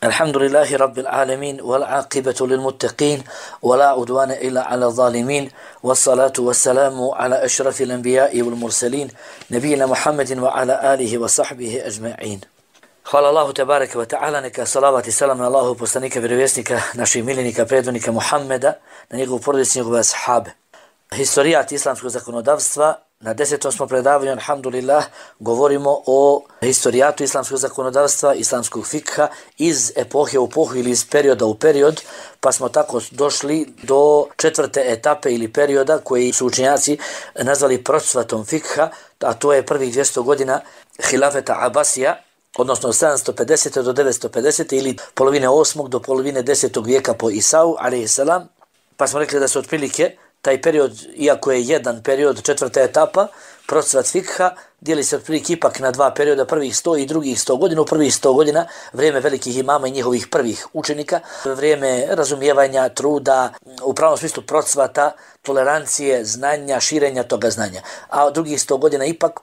الحمد لله رب العالمين والعاقبة للمتقين ولا عدوان إلا على الظالمين والصلاة والسلام على أشرف الأنبياء والمرسلين نبينا محمد وعلى آله وصحبه أجمعين. Hvala Allahu tebareke ve ta'ala, neka salavat i salam na Allahu poslanika, vjerovjesnika, naših miljenika, predvodnika Muhammeda, na njegovu porodicu, njegove ashabe. Historijat islamskog zakonodavstva. Na 10. smo predavanju, alhamdulillah, govorimo o historijatu islamskog zakonodavstva, islamskog fikha iz epohe u epohu ili iz perioda u period, pa smo tako došli do 4. etape ili perioda koji su učenjaci nazvali procvatom fikha, a to je prvih 200 godina hilafeta Abasija, odnosno 750. do 950. ili polovine 8. do polovine 10. vijeka po Isau, alejhisselam, pa smo rekli da su otprilike taj period, iako je jedan period, 4. etapa, procvat fikha, dijeli se otprilike ipak na dva perioda, prvih 100 i drugih 100 godina. U prvih 100 godina vrijeme velikih imama i njihovih prvih učenika, vrijeme razumijevanja, truda, u pravom smislu procvata, tolerancije, znanja, širenja toga znanja. A drugih 100 godina ipak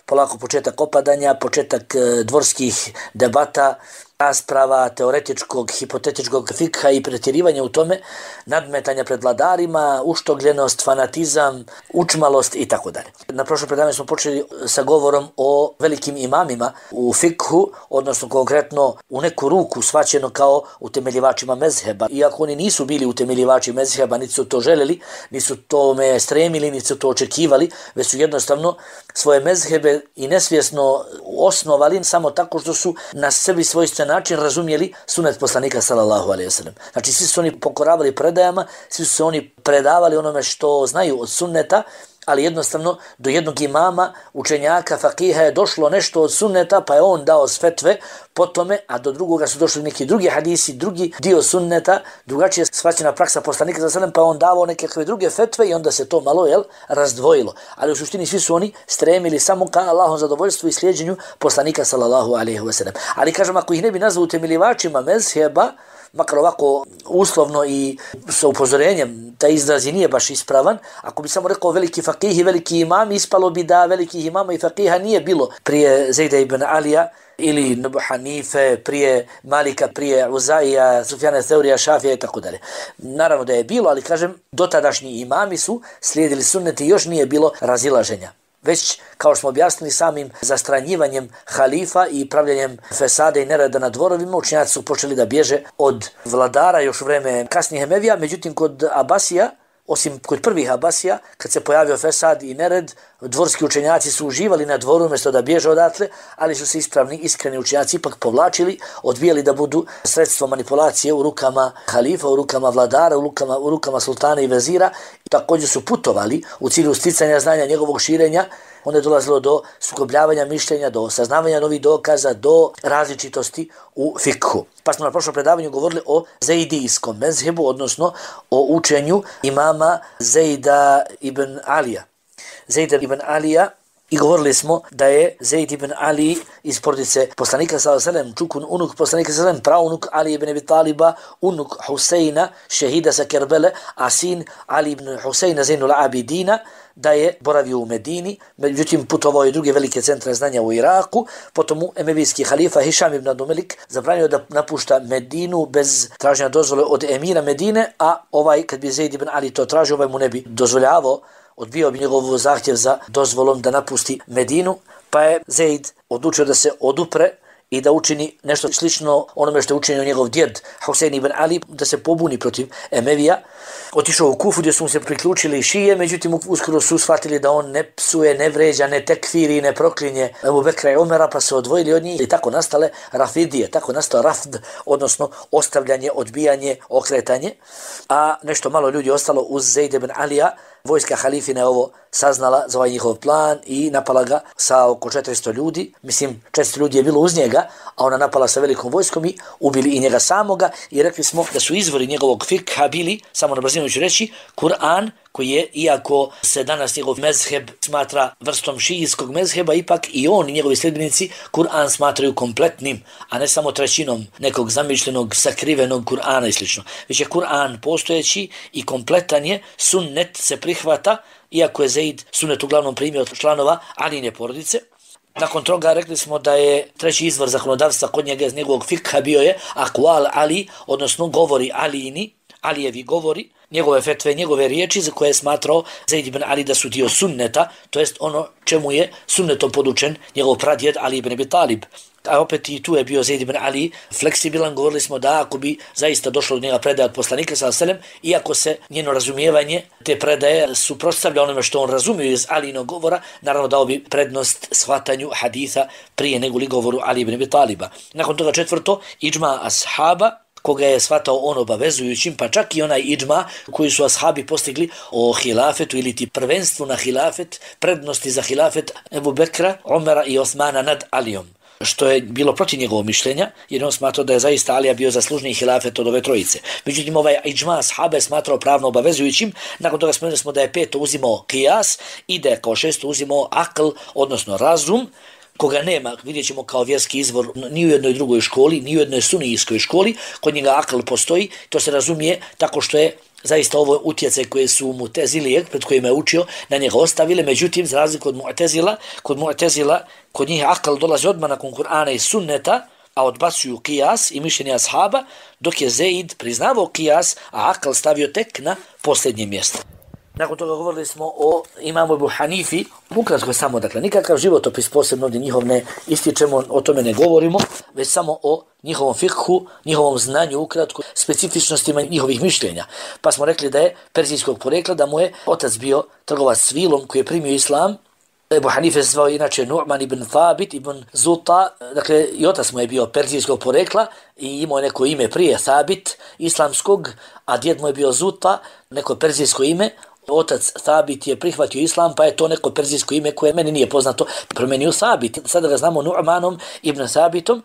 polako početak opadanja, početak dvorskih debata, rasprava, teoretičkog, hipotetičkog fikha i pretjerivanja u tome, nadmetanja pred vladarima, uštogljenost, fanatizam, učmalost i tako dalje. Na prošlom predavanju smo počeli sa govorom o velikim imamima u fikhu, odnosno konkretno u neku ruku shvaćeno kao utemeljivačima mezheba. Iako oni nisu bili utemeljivači mezheba, niti su to željeli, niti su tome stremili, niti su to očekivali, već su jednostavno svoje mezhebe i nesvjesno osnovali samo tako što su na sebi svojstven način razumjeli sunet poslanika sallallahu alejhi ve sellem. Znači svi su oni pokoravali predajama, svi su se oni predavali onome što znaju od sunneta, ali jednostavno do jednog imama, učenjaka, fakiha je došlo nešto od sunneta, pa je on dao fetve po tome, a do drugoga su došli neki drugi hadisi, drugi dio sunneta, drugačije shvaćena praksa poslanika sallallahu alejhi ve sellem, pa on davao neke druge fetve i onda se to malo razdvojilo. Ali u suštini svi su oni stremili samo ka Allahom zadovoljstvu i slijeđenju poslanika sallallahu alejhi ve sellem. Ali kažem, ako ih ne bi nazvao utemeljivačima mezheba, makar ovako uslovno i sa upozorenjem, taj izraz i nije baš ispravan, ako bi samo rekao veliki fakih i veliki imam, ispalo bi da velikih imama i fakiha nije bilo prije Zejda ibn Alija ili Abu Hanife, prije Malika, prije Uzaija, Sufjana Theurija, Šafija i tako dalje. Naravno da je bilo, ali kažem, dotadašnji imami su slijedili sunneti i još nije bilo razilaženja. Već, kao što smo objasnili, samim zastranjivanjem halifa i pravljanjem fesade i nereda na dvorovima, učenjaci su počeli da bježe od vladara još u vreme kasnijih Emevija. Međutim, kod Abasija, osim kod prvih Abasija, kad se pojavio fesad i nered, dvorski učenjaci su uživali na dvoru umjesto da bježe odatle, ali su se ispravni, iskreni učenjaci ipak povlačili, odbijali da budu sredstvo manipulacije u rukama halifa, u rukama vladara, u rukama sultana i vezira. I također su putovali u cilju sticanja znanja, njegovog širenja. Onda je dolazilo do sukobljavanja mišljenja, do saznavanja novih dokaza, do različitosti u fikhu. Pa smo na prošlom predavanju govorili o zejdijskom mezhebu, odnosno o učenju imama Zejda ibn Alija. Zejda ibn Alija, i govorili smo da je Zejd ibn Ali iz porodice poslanika sallallahu alejhi ve sellem, čukun unuk poslanika sallallahu alejhi ve sellem, praunuk Ali ibn Abi Taliba, unuk Huseina, šehida sa Kerbele, a sin Ali ibn Huseina Zainul Abidina, da je boravio u Medini, međutim putovao je druge velike centre znanja u Iraku, potom u emevijski halifa Hišam ibn Abdulmelik zabranio da napušta Medinu bez traženja dozvole od emira Medine, a kad bi Zejd ibn Ali to tražio, mu ne bi dozvoljavao, odbio bi njegov zahtjev za dozvolom da napusti Medinu, pa je Zejd odlučio da se odupre i da učini nešto slično onome što je učinio njegov djed Husein ibn Ali, da se pobuni protiv Emevija. Otišao u Kufu gdje su mu se priključili šije, međutim uskoro su shvatili da on ne psuje, ne vređa, ne tekfiri, ne proklinje Ebu Bekra i Omera, pa se odvojili od njih i tako nastale Rafidije, tako nastao Rafd, odnosno ostavljanje, odbijanje, okretanje. A nešto malo ljudi ostalo uz Zejd ibn Alija. Vojska halifina je ovo saznala za ovaj njihov plan i napala ga sa oko 400 ljudi. Mislim, 400 ljudi je bilo uz njega, a ona napala sa velikom vojskom i ubili i njega samoga. I rekli smo da su izvori njegovog fikha bili, samo na brzinu ću reći, Kur'an, koji je, iako se danas njegov mezheb smatra vrstom šijijskog mezheba, ipak i on i njegovi sljedbenici Kur'an smatraju kompletnim, a ne samo trećinom nekog zamišljenog, sakrivenog Kur'ana i sl. Već je Kur'an postojeći i kompletan je, sunnet se prihvata, iako je Zejd sunnet uglavnom primio od članova Aline porodice. Nakon toga rekli smo da je treći izvor zakonodavstva kod njega iz njegovog fikha bio je akval Ali, odnosno govori Alijini, Alijevi govori, njegove fetve, njegove riječi za koje je smatrao Zaid ibn Ali da su dio sunneta, to jest ono čemu je sunnetom podučen njegov pradjed Ali ibn Abi Talib. A opet i tu je bio Zaid ibn Ali fleksibilan, govorili smo da ako bi zaista došlo do njega predaje od poslanika sallallahu alejhi ve sellem, iako se njeno razumijevanje te predaje suprotstavlja onome što on razumio iz Alijinog govora, naravno dao bi prednost shvatanju haditha prije nego li govoru Ali ibn Abi Taliba. Nakon toga četvrto, idžma ashaba, koga je shvatao on obavezujućim, pa čak i onaj idžma koji su ashabi postigli o hilafetu ili ti prvenstvu na hilafet, prednosti za hilafet Ebu Bekra, Omera i Osmana nad Alijom, što je bilo protiv njegovog mišljenja, jer on smatrao da je zaista Alija bio zaslužniji hilafet od ove trojice. Međutim, ovaj idžma ashaba je smatrao pravno obavezujućim. Nakon toga spomenuli smo da je peto uzimao kijas i da je kao šesto uzimao akl, odnosno razum, koga nema, vidjet ćemo kao vjerski izvor ni u jednoj drugoj školi, ni u jednoj sunijskoj školi, kod njega akl postoji, to se razumije tako što je zaista ovo utjecaj koje su Mu'tezilije, pred kojima je učio, na njega ostavile. Međutim, za razliku od Mu'tezila, kod njih akl dolazi odmah nakon Kur'ana i sunneta, a odbacuju kijas i mišljenje ashaba, dok je Zaid priznavao kijas, a akl stavio tek na posljednje mjesto. Nakon toga govorili smo o imamu Ebu Hanifi, ukratko samo, dakle, nikakav životopis posebno ovdje njihov ne ističemo, o tome ne govorimo, već samo o njihovom fikhu, njihovom znanju, ukratko, specifičnostima njihovih mišljenja. Pa smo rekli da je perzijskog porekla, da mu je otac bio trgovac s vilom koji je primio islam. Ebu Hanife se zvao inače Nu'man ibn Thabit ibn Zuta, dakle i otac mu je bio perzijskog porekla i imao neko ime prije Thabit islamskog, a djed mu je bio Zuta, neko perzijsko ime. Otac Thabit je prihvatio islam, pa je to neko perzijsko ime koje meni nije poznato, promenio Thabit. Sada ga znamo Nu'manom ibn Thabitom.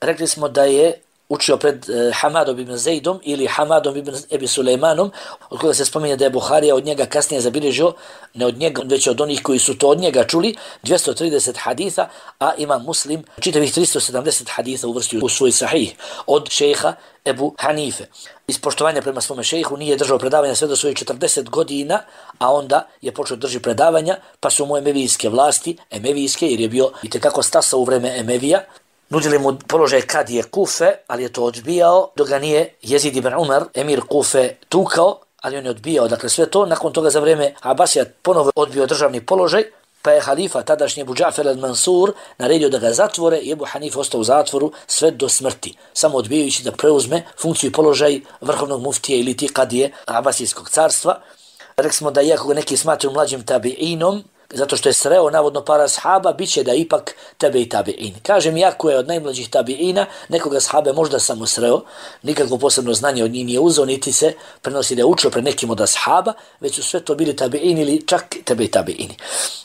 Rekli smo da je učio pred Hamadom ibn Zaidom ili Hamadom ibn Ebi Sulejmanom, od koga se spominje da je Buharija od njega kasnije zabilježio, ne od njega, već od onih koji su to od njega čuli, 230 haditha, a ima Muslim čitavih 370 haditha uvrstio u svoj sahih od šejha Ebu Hanife. Iz poštovanja prema svome šejhu nije držao predavanja sve do svojih 40 godina, a onda je počeo drži predavanja, pa su mu emevijske vlasti, emevijske, jer je bio itekako stasao u vreme Emevija, nudili mu položaj kadije Kufe, ali je to odbijao, dok ga nije Jezid ibn Umar, emir Kufe, tukao, ali on je odbijao. Dakle, sve to, nakon toga za vrijeme Abasija ponovo odbio državni položaj, pa je halifa, tadašnji Ebu Džafer al-Mansur, naredio da ga zatvore i Ebu Hanif ostao u zatvoru sve do smrti, samo odbijajući da preuzme funkciju i položaj vrhovnog muftije ili ti kadije Abasijskog carstva. Rekli smo da iako ga neki smatruju mlađim tabi'inom, zato što je sreo navodno para ashaba, bit će da ipak tebe i tabi'in. Kažem, iako je od najmlađih tabi'ina, nekoga ashabe možda samo sreo, nikakvo posebno znanje od njih nije uzeo, niti se prenosi da je učio pred nekim od ashaba, već su sve to bili tabi'ini ili čak tebe i tabi'ini.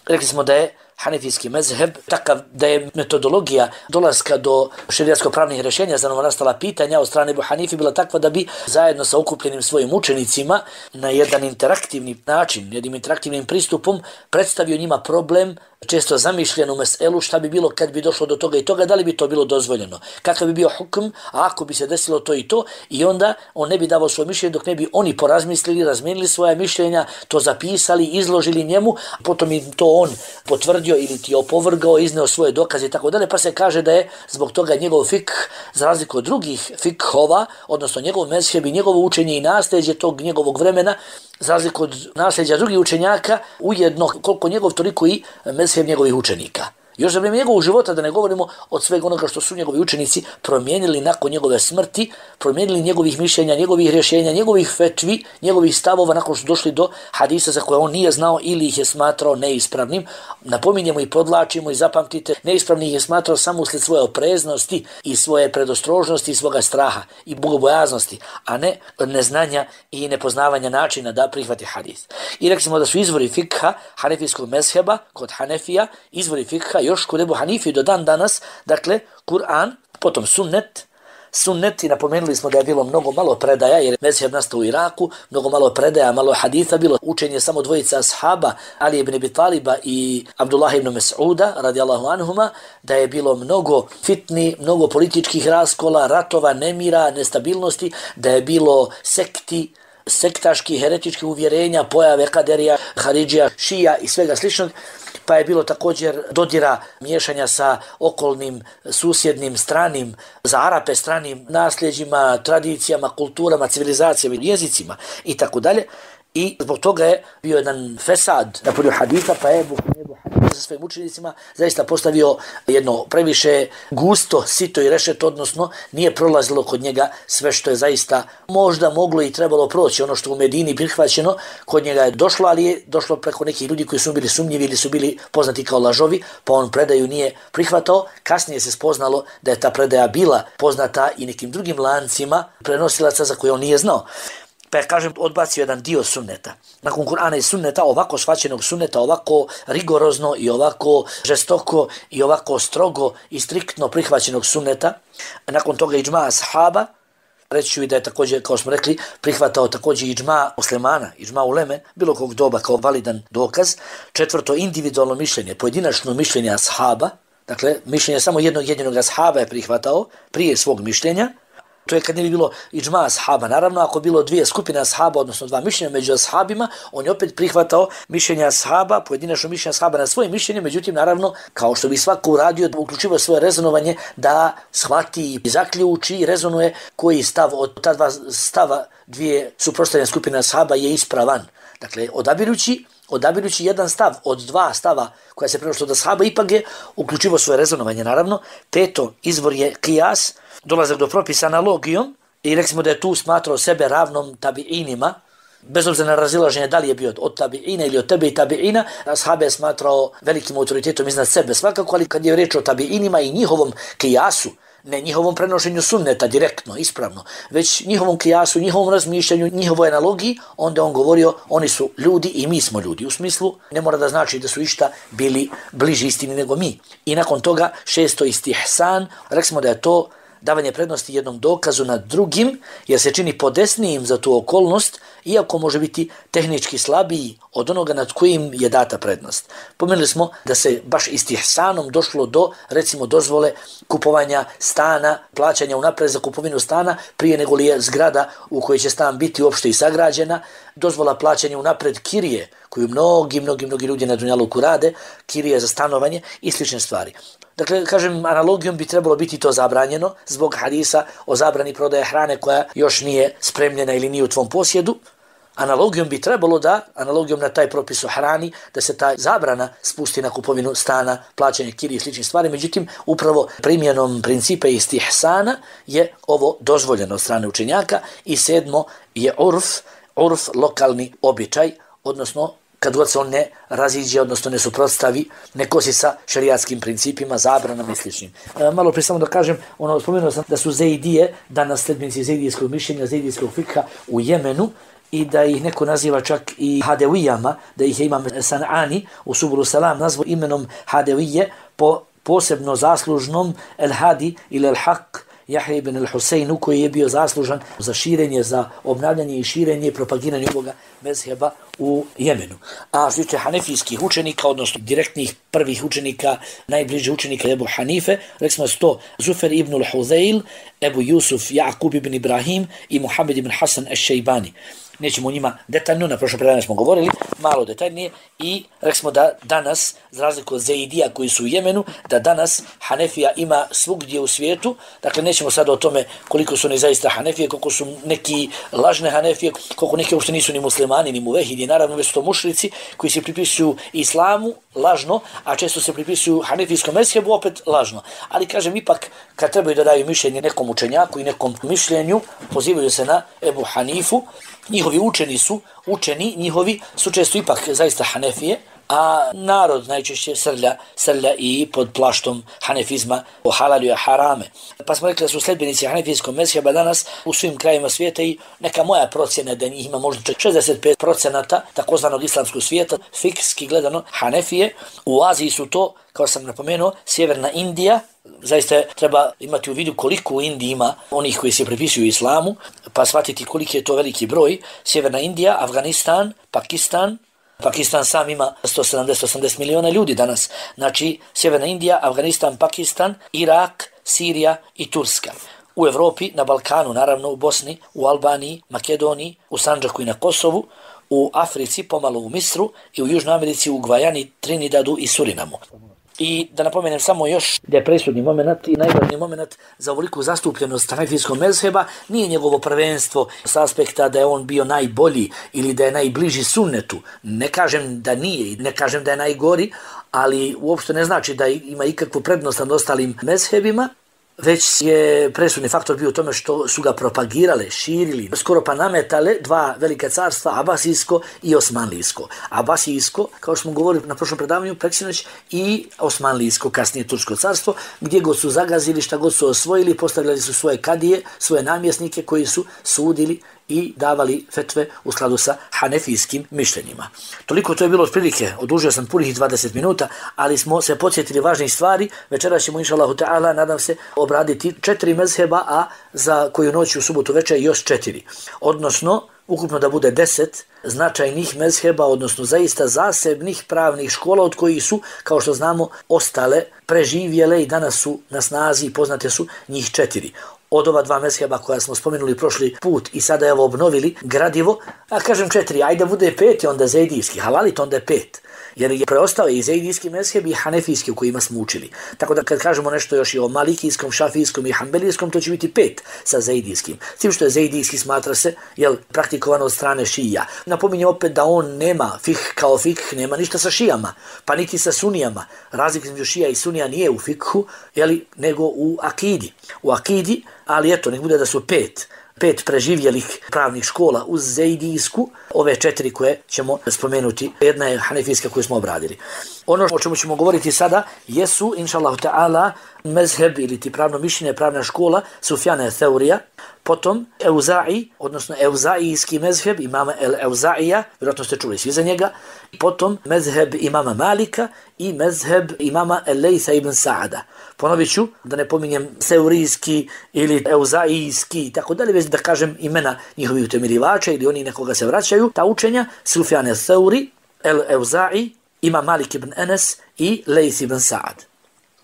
Rekli smo da je hanefijski mezheb takav da je metodologija dolaska do šerijatsko-pravnih rješenja za novonastala pitanja od strane Ebu Hanife bila takva da bi zajedno sa okupljenim svojim učenicima na jedan interaktivni način, jednim interaktivnim pristupom predstavio njima problem, često zamišljenu meselu, šta bi bilo kad bi došlo do toga i toga, da li bi to bilo dozvoljeno, kakav bi bio hukm, a ako bi se desilo to i to, i onda on ne bi davao svoje mišljenje dok ne bi oni porazmislili, razmijenili svoje mišljenja, to zapisali, izložili njemu, potom im to on potvrdio ili ti opovrgao, izneo svoje dokaze i tako dalje, pa se kaže da je zbog toga njegov fikh, za razliku od drugih fikhova, odnosno njegov mezheb i njegovo učenje i nasljeđe tog njegovog vremena, za razliku od nasljeđa drugih učenjaka, ujedno koliko njegov, toliko i mezheb njegovih učenika. Još za vrijeme njegovog života, da ne govorimo od svega onoga što su njegovi učenici promijenili nakon njegove smrti, promijenili njegovih mišljenja, njegovih rješenja, njegovih fetvi, njegovih stavova nakon što su došli do hadisa za koje on nije znao ili ih je smatrao neispravnim. Napominjemo i podlačimo i zapamtite, neispravni ih je smatrao samo usled svoje opreznosti i svoje predostrožnosti i svoga straha i bogobojaznosti, a ne neznanja i nepoznavanja načina da prihvati hadis. I rekli smo da su izvori fikha hanefijskog mezheba kod Hanefija, izvori fikha još kod Ebu Hanifi do dan danas, dakle, Kur'an, potom sunnet i napomenuli smo da je bilo mnogo malo predaja, jer je mezheb nastao u Iraku, mnogo malo predaja, malo haditha, bilo učenje samo dvojica ashaba, Ali ibn Abi Taliba i Abdullah ibn Mas'uda, radijallahu anhuma, da je bilo mnogo fitni, mnogo političkih raskola, ratova, nemira, nestabilnosti, da je bilo sekti, sektaških, heretičkih uvjerenja, pojave kaderija, haridžija, šija i svega sličnog. pa je bilo također dodira miješanja sa okolnim, susjednim, stranim, za Arape stranim nasljeđima, tradicijama, kulturama, civilizacijama, jezicima i tako dalje. I zbog toga je bio jedan fesad na polju haditha, pa je Ebu Hanife sa svojim učenicima zaista postavio jedno previše gusto, sito i rešeto, odnosno nije prolazilo kod njega sve što je zaista možda moglo i trebalo proći. Ono što u Medini prihvaćeno, kod njega je došlo, ali je došlo preko nekih ljudi koji su bili sumnjivi ili su bili poznati kao lažovi, pa on predaju nije prihvatao. Kasnije se spoznalo da je ta predaja bila poznata i nekim drugim lancima prenosilaca za koje on nije znao. Pa je, kažem, odbacio jedan dio sunneta. Nakon Kur'ana i sunneta, ovako shvaćenog sunneta, ovako rigorozno i ovako žestoko i ovako strogo i striktno prihvaćenog sunneta, nakon toga iđma ashaba, reći ću i da je također, kao smo rekli, prihvatao također iđma muslimana, iđma uleme, bilo kog doba kao validan dokaz. Četvrto, individualno mišljenje, pojedinačno mišljenje ashaba, dakle, mišljenje samo jednog jedinog ashaba je prihvatao prije svog mišljenja. To je kad ne bi bilo iđma ashaba. Naravno, ako bilo dvije skupine ashaba, odnosno dva mišljenja među ashabima, on je opet prihvatao mišljenja ashaba, pojedinačno mišljenja ashaba na svoje mišljenje, međutim, naravno, kao što bi svako uradio, uključivo svoje rezonovanje da shvati i zaključi i rezonuje koji stav od ta dva stava dvije suprotstavljene skupine ashaba je ispravan. Dakle, odabirući jedan stav od dva stava koja se prenosi od ashaba, ipak je uključivo svoje rezonovanje, naravno. Peto, izvor je qiyas, dolazak do propisa analogijom, i rekli da je tu smatrao sebe ravnom tabiinima, bez obzira na razilaženje da li je bio od tabiina ili od tebe i tabiina, ashabe je smatrao velikim autoritetom iznad sebe svakako, ali kad je reč o tabiinima i njihovom qiyasu, ne njihovom prenošenju sunneta direktno, ispravno, već njihovom kijasu, njihovom razmišljanju, njihovoj analogiji, onda on govorio, oni su ljudi i mi smo ljudi. U smislu, ne mora da znači da su išta bili bliži istini nego mi. I nakon toga, šesto, istihsan, rekli da je to davanje prednosti jednom dokazu nad drugim, jer se čini podesnijim za tu okolnost, iako može biti tehnički slabiji od onoga nad kojim je data prednost. Pomenuli smo da se baš istihsanom došlo do, recimo, dozvole kupovanja stana, plaćanja unapred za kupovinu stana, prije nego li je zgrada u kojoj će stan biti uopšte i sagrađena, dozvola plaćanja unapred kirije, koju mnogi ljudi na Dunjaluku rade, kirije za stanovanje i slične stvari. Dakle, kažem, analogijom bi trebalo biti to zabranjeno zbog hadisa o zabrani prodaje hrane koja još nije spremljena ili nije u tvom posjedu. Analogijom bi trebalo da, analogijom na taj propis o hrani, da se ta zabrana spusti na kupovinu stana, plaćanje kirije i sličnih stvari. Međutim, upravo primjenom principa istihsana je ovo dozvoljeno od strane učenjaka. I sedmo je urf, lokalni običaj, odnosno kad god se on ne raziđe, odnosno ne suprotstavi, ne kosi sa šerijatskim principima, zabranama i sličnim. Malo prije samo da kažem, spomenuo sam da su Zeidije, danas sledbenici Zeidijskog mišljenja, Zeidijskog fikha u Jemenu, i da ih neko naziva čak i Hadevijama, da ih je Imam San'ani u Subulu Salam nazvao imenom Hadevije po posebno zaslužnom El Hadi ili El Haq Jahja ibn al-Huseinu, koji je bio zaslužan za širenje, za obnavljanje i širenje i propagiranje ovoga mezheba u Jemenu. A što tiče hanefijskih učenika, odnosno direktnih prvih učenika, najbliži učenika Ebu Hanife, rekli smo to Zufer ibn al-Huzail, Ebu Jusuf Ja'kub ibn Ibrahim i Muhammed ibn Hasan al-Šejbani. Nećemo o njima detaljno, na prošlom predavanju smo govorili, malo detaljnije, i rekli smo da danas, za razliku od Zeidija koji su u Jemenu, da danas Hanefija ima svugdje u svijetu. Dakle, nećemo sad o tome koliko su oni zaista Hanefije, koliko su neki lažne Hanefije, koliko neki uopšte nisu ni muslimani, ni muvehidi, naravno već su to mušrici koji se pripisuju islamu lažno, a često se pripisuju hanefijskom mezhebu opet lažno. Ali kažem, ipak kad trebaju da daju mišljenje nekom učenjaku i nekom mišljenju, pozivaju se na Ebu Hanifu. Njihovi učeni njihovi su često ipak zaista Hanefije, a narod najčešće srlja i pod plaštom hanefizma o halalu i harame. Pa smo rekli da su sledbenici hanefijskog mezheba danas u svim krajima svijeta, i neka moja procjena da njih ima možda 65% takozvanog islamskog svijeta, fikski gledano Hanefije. U Aziji su to, kao sam napomenuo, sjeverna Indija. Zaista treba imati u vidu koliko u Indiji ima onih koji se pripisuju islamu, pa shvatiti koliki je to veliki broj. Sjeverna Indija, Afganistan, Pakistan sam ima 170-180 miliona ljudi danas. Znači, Sjeverna Indija, Afganistan, Pakistan, Irak, Sirija i Turska. U Evropi, na Balkanu, naravno u Bosni, u Albaniji, Makedoniji, u Sandžaku i na Kosovu, u Africi, pomalo u Misru i u Južnoj Americi, u Gvajani, Trinidadu i Surinamu. I da napomenem samo još da je presudni moment i najvažniji moment za ovoliku zastupljenost hanefijskog mezheba nije njegovo prvenstvo s aspekta da je on bio najbolji ili da je najbliži sunnetu. Ne kažem da nije, ne kažem da je najgori, ali uopšte ne znači da ima ikakvu prednost nad ostalim mezhebima, već je presudni faktor bio u tome što su ga propagirale, širili, skoro pa nametale dva velika carstva, Abasijsko i Osmanlijsko. Abasijsko, kao što smo govorili na prošlom predavanju, preksinoć, i Osmanlijsko, kasnije Tursko carstvo, gdje god su zagazili, šta god su osvojili, postavljali su svoje kadije, svoje namjesnike koji su sudili i davali fetve u skladu sa hanefijskim mišljenjima. Toliko to je bilo otprilike, odužio sam punih 20 minuta, ali smo se podsjetili važnih stvari. Večeras ćemo, inšallahu ta'ala, nadam se, obraditi 4 mezheba, a za koju noć u subotu večer još 4. Odnosno, ukupno da bude 10 značajnih mezheba, odnosno zaista zasebnih pravnih škola od kojih su, kao što znamo, ostale, preživjele i danas su na snazi i poznate su njih 4. Od ova 2 mezheba koja smo spomenuli prošli put i sada je ovo obnovili gradivo, a kažem 4, ajde bude 5, onda zejdijski, halalit onda je 5. Jer je preostao i zejdijski mezheb i hanefijski u kojima smo učili. Tako da kad kažemo nešto još i o malikijskom, šafijskom i hanbelijskom, to će biti 5 sa zejdijskim. S tim što je zejdijski smatra se praktikovano od strane šija. Napominjem opet da on nema fik kao fik, nema ništa sa šijama, pa niti sa sunijama. Razlika između šija i sunija nije u fikhu, nego u akidi. U akidi, ali eto, nek bude da su 5 preživjelih pravnih škola uz zejdijsku, ove 4 koje ćemo spomenuti. Jedna je hanefijska koju smo obradili. Ono o čemu ćemo govoriti sada jesu, inšallahu ta'ala, mezheb ili ti pravno mišljenje, pravna škola Sufjana Theurija, potom Euza'i, odnosno Euzaijski mezheb imama El-Euza'ija, vjerojatno ste čuli svi za njega, potom mezheb imama Malika i mezheb imama El-Lejsa ibn Sa'ada. Ponovit ću, da ne pominjem Theurijski ili Euzaijski i tako dalje, već da kažem imena njihovih utemeljivača ili oni nekoga se vraćaju, ta učenja Sufjan Theuri, El-Euza'i, imam Malik ibn Enes i Lejs ibn Sa'ad.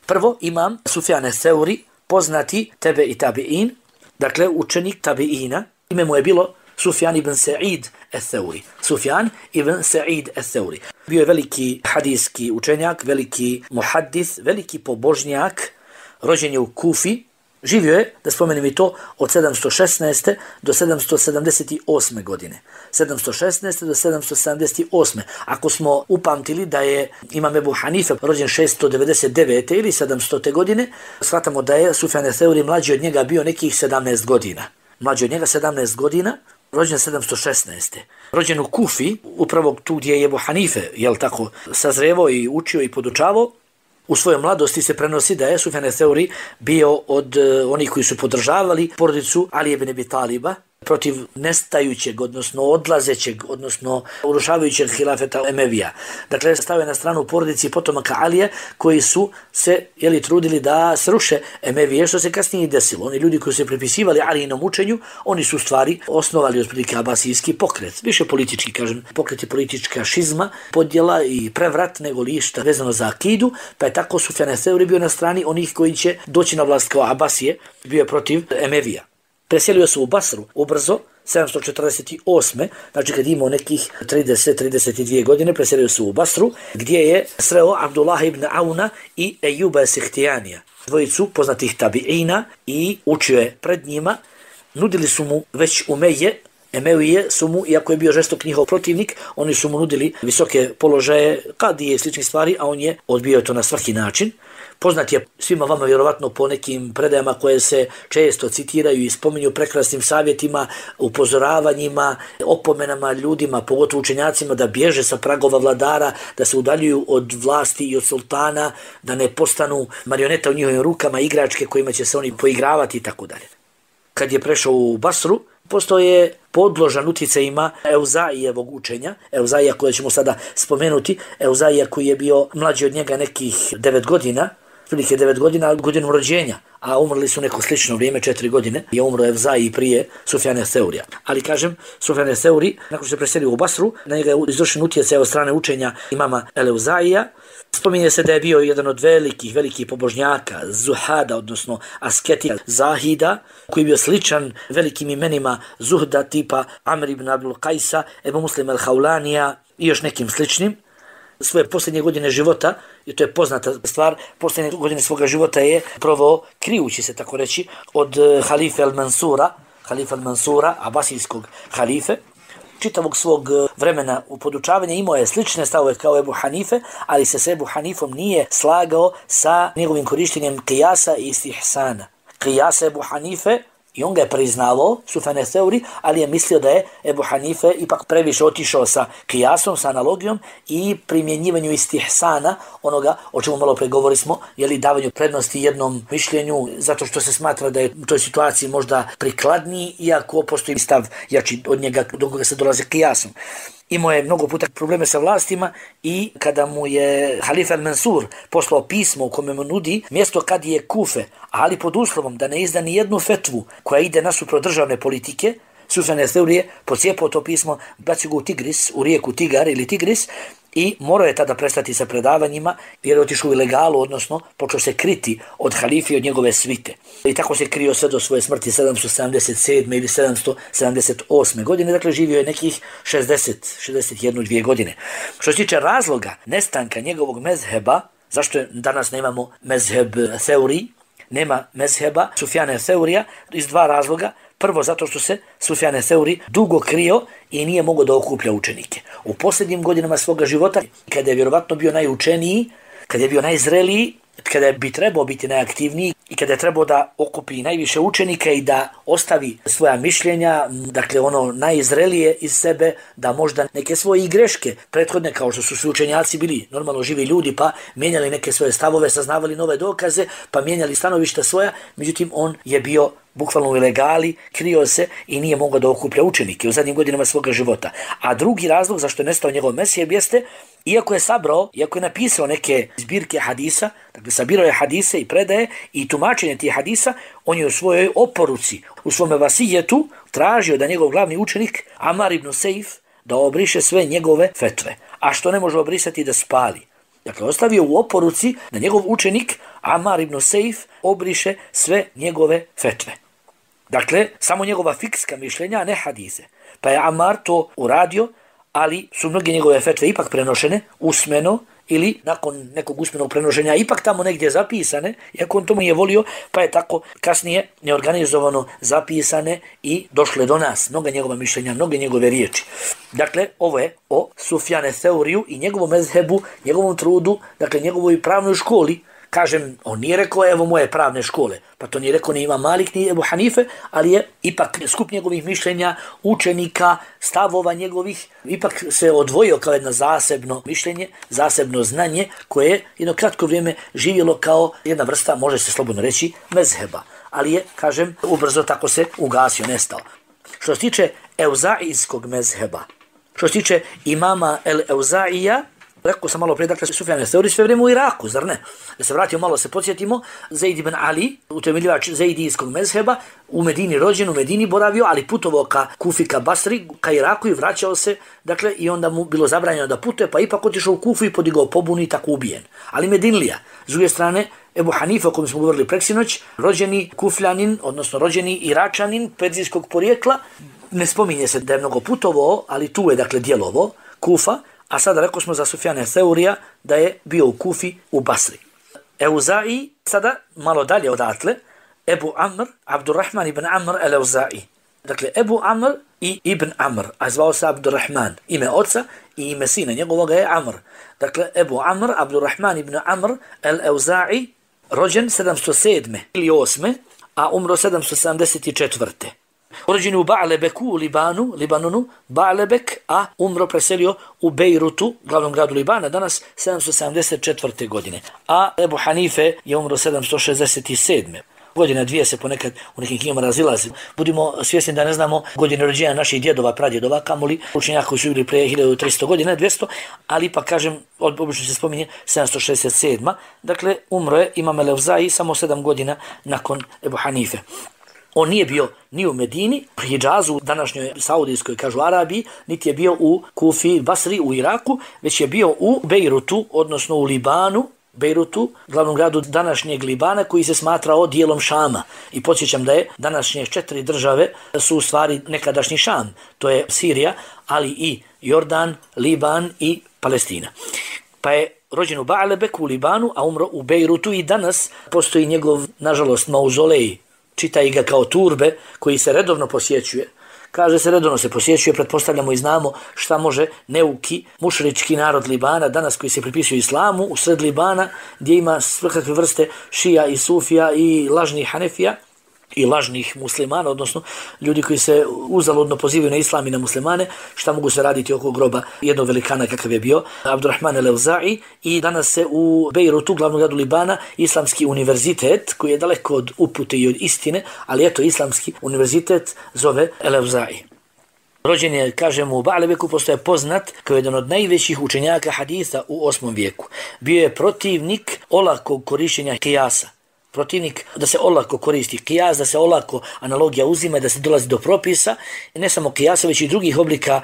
Prvo imam Sufjan Theuri, poznati tebe i tabi'in, dakle učenik tabi'ina, ime mu je bilo Sufjan ibn Sa'id al-Theuri. Sufjan ibn Sa'id al-Theuri. Bio je veliki hadijski učenjak, veliki muhaddis, veliki pobožnjak, rođen je u Kufi, živio je, da spomenem i to, od 716. do 778. godine. 716. do 778. Ako smo upamtili da je imam Ebu Hanife rođen 699. ili 700. godine, shvatamo da je Sufjan Theuri mlađi od njega bio nekih 17 godina. Mlađi od njega 17 godina, rođen 716. Rođen u Kufi, upravo tu gdje je Ebu Hanife, sazrevo i učio i podučavao. U svojoj mladosti se prenosi da je Sufjan Theuri bio od onih koji su podržavali porodicu Ali ibn Abi Taliba protiv nestajućeg, odnosno odlazećeg, odnosno urušavajućeg hilafeta Emevija. Dakle, stavio na stranu porodici potomaka Alije koji su se trudili da sruše Emevije, što se kasnije i desilo. Oni ljudi koji su se prepisivali Alijinom učenju, oni su u stvari osnovali otprilike abasijski pokret. Više politički, pokret je politička šizma, podjela i prevrat nego lišta vezano za akidu, pa je tako Sufjan Theuri bio na strani onih koji će doći na vlast kao Abasije, bio je protiv Emevija. Preselio se u Basru ubrzo, 748. Znači kad imao nekih 30-32 godine, preselio se u Basru, gdje je sreo Abdullah ibn Auna i Ejuba Sihtijanija, dvojicu poznatih tabi'ina, i učio je pred njima. Nudili su mu već Emevije su mu, iako je bio žestok njihov protivnik, oni su mu nudili visoke položaje, kadije i sličnih stvari, a on je odbio to na svaki način. Poznat je svima vama vjerovatno po nekim predajama koje se često citiraju i spominju prekrasnim savjetima, upozoravanjima, opomenama ljudima, pogotovo učenjacima, da bježe sa pragova vladara, da se udaljuju od vlasti i od sultana, da ne postanu marioneta u njihovim rukama, igračke kojima će se oni poigravati i tako dalje. Kad je prešao u Basru, postao je podložan utjecajima Euza'ijevog učenja, Euza'ija koje ćemo sada spomenuti, Euza'ija koji je bio mlađi od njega nekih 9 godina, prilike 9 godina, godinu rođenja, a umrli su neko slično vrijeme, 4 godine, je umro Evzai prije Sufjana Theurija. Ali kažem, Sufjan Theuri, nakon što se preselio u Basru, na njega je izvršen utjecaj od strane učenja imama El-Evzaija. Spominje se da je bio jedan od velikih pobožnjaka, zuhada, odnosno asketika, zahida, koji je bio sličan velikim imenima zuhda tipa Amr ibn Abdul Qajsa, Ebu Muslim al-Haulanija i još nekim sličnim. Svoje posljednje godine života, i to je poznata stvar, posljednje godine svoga života je proveo krijući se, tako reći, od halife al-Mansura, abasijskog halife. Čitavog svog vremena u podučavanja imao je slične stavove kao Ebu Hanife, ali se s Ebu Hanifom nije slagao sa njegovim korištenjem kijasa i istihsana. Kijasa Ebu Hanife, i on ga je priznavao, Sufjan Theuri, ali je mislio da je Ebu Hanife ipak previše otišao sa kijasom, sa analogijom i primjenjivanju istihsana, onoga o čemu malo pregovori smo, jeli davanju prednosti jednom mišljenju, zato što se smatra da je u toj situaciji možda prikladniji, iako postoji stav jači od njega do koga se dolaze kijasom. Imao je mnogo puta probleme sa vlastima i kada mu je Halifa al-Mansur poslao pismo u kome mu nudi mjesto kadije Kufe, ali pod uslovom da ne izda ni jednu fetvu koja ide nasuprot državne politike, Sufjan Theuri je pocijepao to pismo, bacio ga u Tigris, u rijeku Tigar ili Tigris, i morao je tada prestati sa predavanjima jer je otišao u ilegalu, odnosno počeo se kriti od halife i od njegove svite. I tako se krio sve do svoje smrti 777. ili 778. godine, dakle živio je nekih 61-2 godine. Što se tiče razloga nestanka njegovog mezheba, zašto danas nemamo mezheb Theuri, nema mezheba Sufjana Theurija, iz dva razloga. Prvo, zato što se Sufjan Theuri dugo krio i nije mogao da okuplja učenike. U posljednjim godinama svoga života, kada je vjerovatno bio najučeniji, kada je bio najzreliji, kada bi trebao biti najaktivniji i kada je trebao da okupi najviše učenika i da ostavi svoja mišljenja, dakle ono najzrelije iz sebe, da možda neke svoje greške prethodne, kao što su svi učenjaci bili normalno živi ljudi, pa mijenjali neke svoje stavove, saznavali nove dokaze, pa mijenjali stanovišta svoja, međutim on je bio bukvalno u ilegali, krio se i nije mogao da okuplja učenike u zadnjim godinama svoga života. A drugi razlog zašto je nestao njegov mezheb jeste, iako je napisao neke zbirke hadisa, dakle sabirao je hadise i predaje i tumačenje tih hadisa, on je u svojoj oporuci, u svome vasijetu tražio da njegov glavni učenik Amar ibn Sejf da obriše sve njegove fetve, a što ne može obrisati da spali. Dakle, ostavio u oporuci da njegov učenik Amar ibn Sejf obriše sve njegove fetve. Dakle, samo njegova fikska mišljenja, a ne hadise. Pa je Amar to uradio, ali su mnoge njegove fetve ipak prenošene usmeno ili nakon nekog usmenog prenošenja ipak tamo negdje zapisane, iako on to nije volio, pa je tako kasnije neorganizovano zapisane i došle do nas. Mnoga njegova mišljenja, mnoge njegove riječi. Dakle, ovo je o Sufjanu Theuriju i njegovom mezhebu, njegovom trudu, dakle njegovoj pravnoj školi. Kažem, on nije rekao evo moje pravne škole, pa to nije rekao ni Imam Malik ni Ebu Hanife, ali je ipak skup njegovih mišljenja, učenika, stavova njegovih, ipak se odvojio kao jedno zasebno mišljenje, zasebno znanje koje je jedno kratko vrijeme živjelo kao jedna vrsta, može se slobodno reći, mezheba. Ali je, kažem, ubrzo tako se ugasio, nestao. Što se tiče Evzaijskog mezheba, što se tiče imama El-Evzaija, rekao sam malo prije, dakle, Sufjan Theuri sve vrijeme u Iraku, zar ne? Da se vratimo malo, se podsjetimo, Zaid ibn Ali, utemeljivač Zaidijskog mezheba, u Medini rođen, u Medini boravio, ali putovao ka Kufi, ka Basri, ka Iraku i vraćao se, dakle, i onda mu bilo zabranjeno da putuje, pa ipak otišao u Kufu i podigao pobunu i tako ubijen. Ali Medinlija, s druge strane, Ebu Hanife, o kojem smo govorili preksinoć, rođeni Kufljanin, odnosno rođeni Iračanin, perzijskog porijekla, ne spominje se da je mnogo putovao, ali tu je, dakle, djelovo, Kufa. A sada rekao smo za Sufjana Theurija da je bio u Kufi, u Basri. Evzai, sada malo dalje odatle, Ebu Amr, Abdurrahman ibn Amr el-Evzai. Dakle, Ebu Amr i Ibn Amr, a zvao se Abdurrahman, ime oca i ime sina, njegovoga je Amr. Dakle, Ebu Amr, Abdurrahman ibn Amr el-Evzai, rođen 707. ili 8. a umro 774. Rođen u Ba'lebeku u Libanonu, Ba'lebek, a umro preselio u Bejrutu, glavnom gradu Libana, danas 774. godine. A Ebu Hanife je umro 767. godina, dvije se ponekad u nekim knjigama razilazi. Budimo svjesni da ne znamo godine rođenja naših djedova, pradjedova, kamoli učenjaka koji su bili prije 1300 godina, 200, ali ipak kažem, obično se spominje 767. Dakle, umro je Imam el-Evzai samo 7 godina nakon Ebu Hanife. On nije bio ni u Medini, pri Hidžazu, današnjoj Saudijskoj, kažu Arabiji, niti je bio u Kufi, Basri, u Iraku, već je bio u Bejrutu, odnosno u Libanu, Bejrutu, glavnom gradu današnjeg Libana, koji se smatrao dijelom Šama. I podsjećam da je današnje 4 države su u stvari nekadašnji Šam. To je Sirija, ali i Jordan, Liban i Palestina. Pa je rođen u Ba'lebeku u Libanu, a umro u Bejrutu i danas postoji njegov, nažalost, mauzolej, čitaj ga kao turbe, koji se redovno posjećuje. Kaže se redovno se posjećuje, pretpostavljamo i znamo šta može neuki mušrički narod Libana, danas koji se pripisuje islamu, u sred Libana, gdje ima svakakve vrste šija i sufija i lažnih hanefija i lažnih muslimana, odnosno ljudi koji se uzaludno pozivaju na islam i na muslimane, šta mogu se raditi oko groba jednog velikana kakav je bio Abdurrahman el-Evzai. I danas se u Bejrutu, glavnom gradu Libana, islamski univerzitet, koji je daleko od upute i od istine, ali eto, islamski univerzitet zove el-Evzai. Rođen je, kažemo, u Ba'lebeku, postoje poznat kao jedan od najvećih učenjaka haditha u 8. vijeku. Bio je protivnik olakog korištenja kijasa. Protivnik da se olako koristi kijas, da se olako analogija uzima, da se dolazi do propisa, ne samo kijasa, već i drugih oblika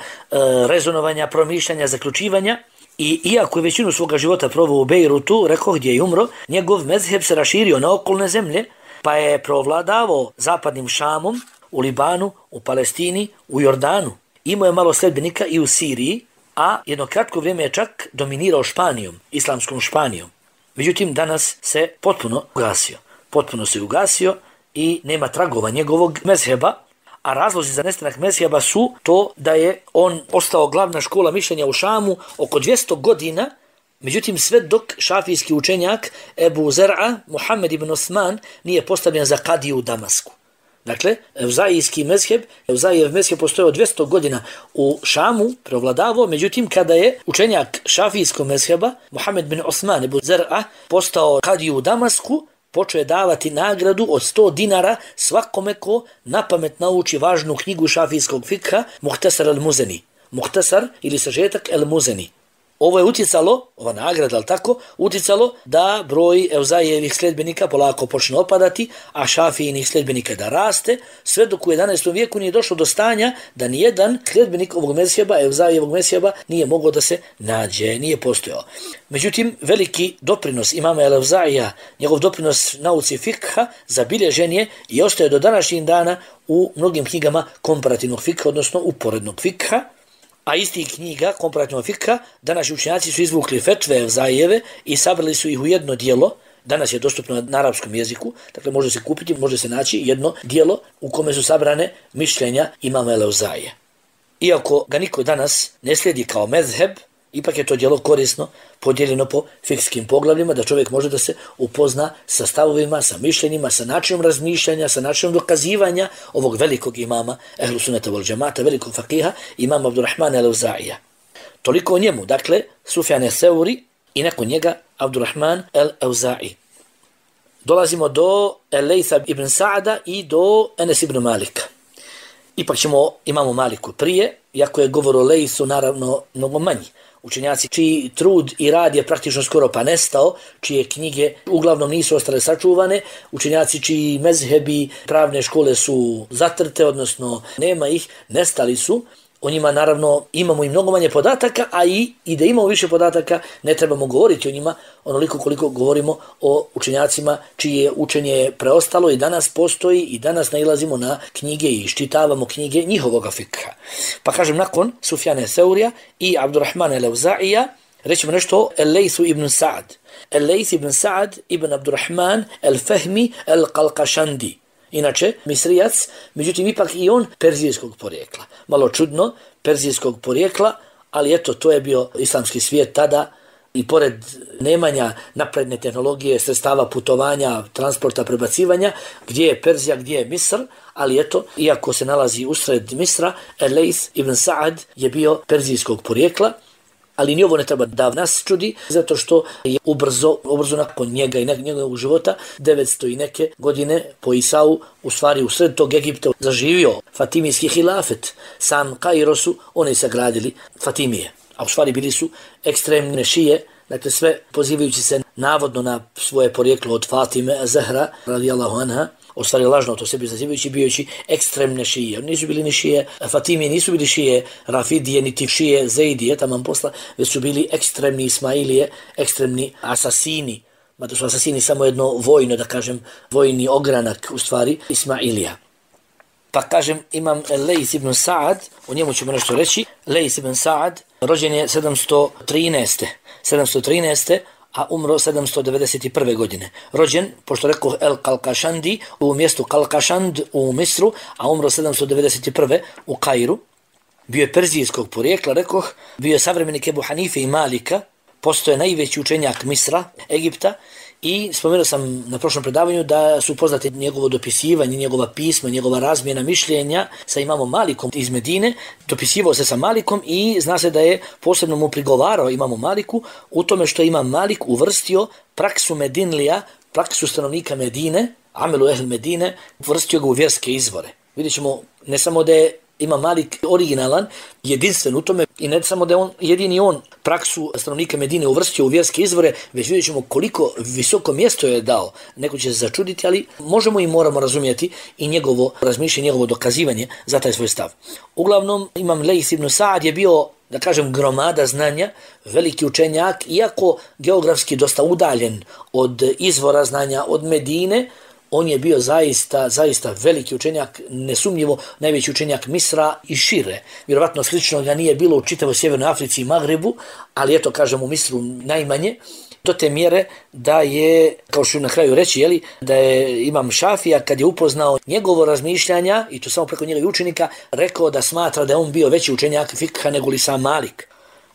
rezonovanja, promišljanja, zaključivanja. I iako je većinu svoga života proveo u Bejrutu, rekao gdje je umro, njegov mezheb se raširio na okolne zemlje, pa je provladavao zapadnim Šamom, u Libanu, u Palestini, u Jordanu. Imao je malo sledbenika i u Siriji, a jedno kratko vrijeme je čak dominirao Španijom, islamskom Španijom. Međutim, danas se potpuno ugasio i nema tragova njegovog mezheba, a razlozi za nestanak mezheba su to da je on ostao glavna škola mišljenja u Šamu oko 200 godina, međutim sve dok šafijski učenjak Ebu Zer'a, Muhammed ibn Osman, nije postavljen za kadiju u Damasku. Dakle, Evzaijev mezheb postojao 200 godina u Šamu, prevladavao, međutim kada je učenjak šafijskog mezheba, Muhammed bin Osman Ebu Zer'a, postao kadiju u Damasku, počeo je davati nagradu od 100 dinara svakome ko napamet nauči važnu knjigu šafijskog fikha, Muhtasar el-Muzeni. Muhtasar ili sažetak el-Muzeni. Ovo je utjecalo, ova nagrada, ali tako, utjecalo da broj Evzaijevih sljedbenika polako počne opadati, a Šafijinih sljedbenika da raste, sve dok u 11. vijeku nije došlo do stanja da nijedan sljedbenik ovog mezheba, Evzaijevog mezheba, nije mogao da se nađe, nije postojao. Međutim, veliki doprinos imama el-Evzaija, njegov doprinos nauci fikha, zabilježen je i ostaje do današnjih dana u mnogim knjigama komparativnog fikha, odnosno uporednog fikha. A istih knjiga komparativnog fikha današnji učenjaci su izvukli fetve Evzaijeve i sabrali su ih u jedno dijelo. Danas je dostupno na arapskom jeziku, dakle može se kupiti, može se naći jedno dijelo u kome su sabrane mišljenja imama el-Evzaija. Iako ga niko danas ne slijedi kao mezheb, ipak je to djelo korisno, podijeljeno po fikskim poglavljima, da čovjek može da se upozna sa stavovima, sa mišljenjima, sa načinom razmišljanja, sa načinom dokazivanja ovog velikog imama Ehlu Sunneta wal Džemata, velikog fakiha, imama Abdurrahmana el-Evzaija. Toliko o njemu, dakle, Sufjan el-Seuri i nakon njega Abdurrahman el-Evza'i. Dolazimo do Lejtha ibn Sa'da i do Enes ibn Malika. Ipak ćemo imamu Maliku prije, iako je govor o Lejthu naravno mnogo manji. Učenjaci čiji trud i rad je praktično skoro pa nestao, čije knjige uglavnom nisu ostale sačuvane, učenjaci čiji mezhebi pravne škole su zatrte, odnosno nema ih, nestali su. O njima naravno imamo i mnogo manje podataka, a i da imamo više podataka ne trebamo govoriti o njima onoliko koliko govorimo o učenjacima čije učenje preostalo i danas postoji i danas nailazimo na knjige i iščitavamo knjige njihovoga fikha. Pa kažem, nakon Sufjana Seurija i Abdurrahmana el-Evzaija rećemo nešto o Lejthu ibn Sa'd. Lejth ibn Sa'd ibn Abdurrahman el-Fehmi el-Qalqashandi. Inače, Misrijac, međutim ipak i on perzijskog porijekla. Malo čudno, perzijskog porijekla, ali eto, to je bio islamski svijet tada i pored nemanja napredne tehnologije, sredstava putovanja, transporta, prebacivanja, gdje je Perzija, gdje je Misr, ali eto, iako se nalazi usred Misra, Lejth ibn Sa'd je bio perzijskog porijekla Ali ni ovo ne treba da nas čudi, zato što je ubrzo nakon njega i njegovog života, 900 i neke godine po Isau, u stvari u sred tog Egipta zaživio Fatimijski hilafet. Sam Kairo su oni sagradili Fatimije, a u stvari bili su ekstremne šije, dakle sve pozivajući se navodno na svoje porijeklo od Fatime Zahra, radijallahu anha, u stvari lažno to sebi zazivajući, bijući ekstremne šije. Oni nisu bili ni šije Fatimije, nisu bili šije Rafidije, niti šije Zeidije, taman posla, već su bili ekstremni Ismailije, ekstremni asasini. Mada su asasini samo jedno vojno, da kažem, vojni ogranak, u stvari, Ismailija. Pa kažem, imam Lejth ibn Sa'ad, o njemu ćemo nešto reći. Lejth ibn Sa'ad rođen je 713. a umro 791. godine. Rođen, pošto rekao El Kalkašandi, u mjestu Kalkašand u Misru, a umro 791. u Kairu. Bio je perzijskog porijekla, rekoh, bio je savremenik Ebu Hanife i Malika, postoje najveći učenjak Misra, Egipta, i spomenuo sam na prošlom predavanju da su poznate njegovo dopisivanje, njegova pisma, njegova razmjena mišljenja sa imamom Malikom iz Medine. Dopisivao se sa Malikom i zna se da je posebno mu prigovarao imamu Maliku u tome što imam Malik uvrstio praksu Medinlija, praksu stanovnika Medine, Amelu Ehl Medine, uvrstio ga u vjerske izvore. Vidjet ćemo ne samo da je Imam Malik originalan, jedinstven u tome i ne samo da je jedini on praksu stanovnika Medine uvrstio u vjerske izvore, već vidjet ćemo koliko visoko mjesto je dao. Neko će se začuditi, ali možemo i moramo razumjeti i njegovo razmišljanje, njegovo dokazivanje za taj svoj stav. Uglavnom, Imam Lejth ibn Sa'ad je bio, da kažem, gromada znanja, veliki učenjak, iako geografski dosta udaljen od izvora znanja, od Medine. On je bio zaista veliki učenjak, nesumnjivo najveći učenjak Misra i šire. Vjerovatno slično ga nije bilo u čitavoj Sjevernoj Africi i Magrebu, ali eto, kažem, u Misru najmanje. Do te mjere da je, kao što na kraju reći, da je imam Šafija, kad je upoznao njegovo razmišljanja, i to samo preko njegovih učenika, rekao da smatra da je on bio veći učenjak fikha nego li sam Malik.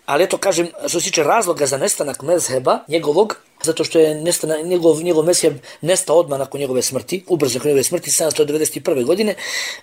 Ali eto, kažem, što se tiče razloga za nestanak mezheba njegovog, zato što je njegov mezheb nestao odmah nakon njegove smrti, ubrzo nakon njegove smrti, 791. godine,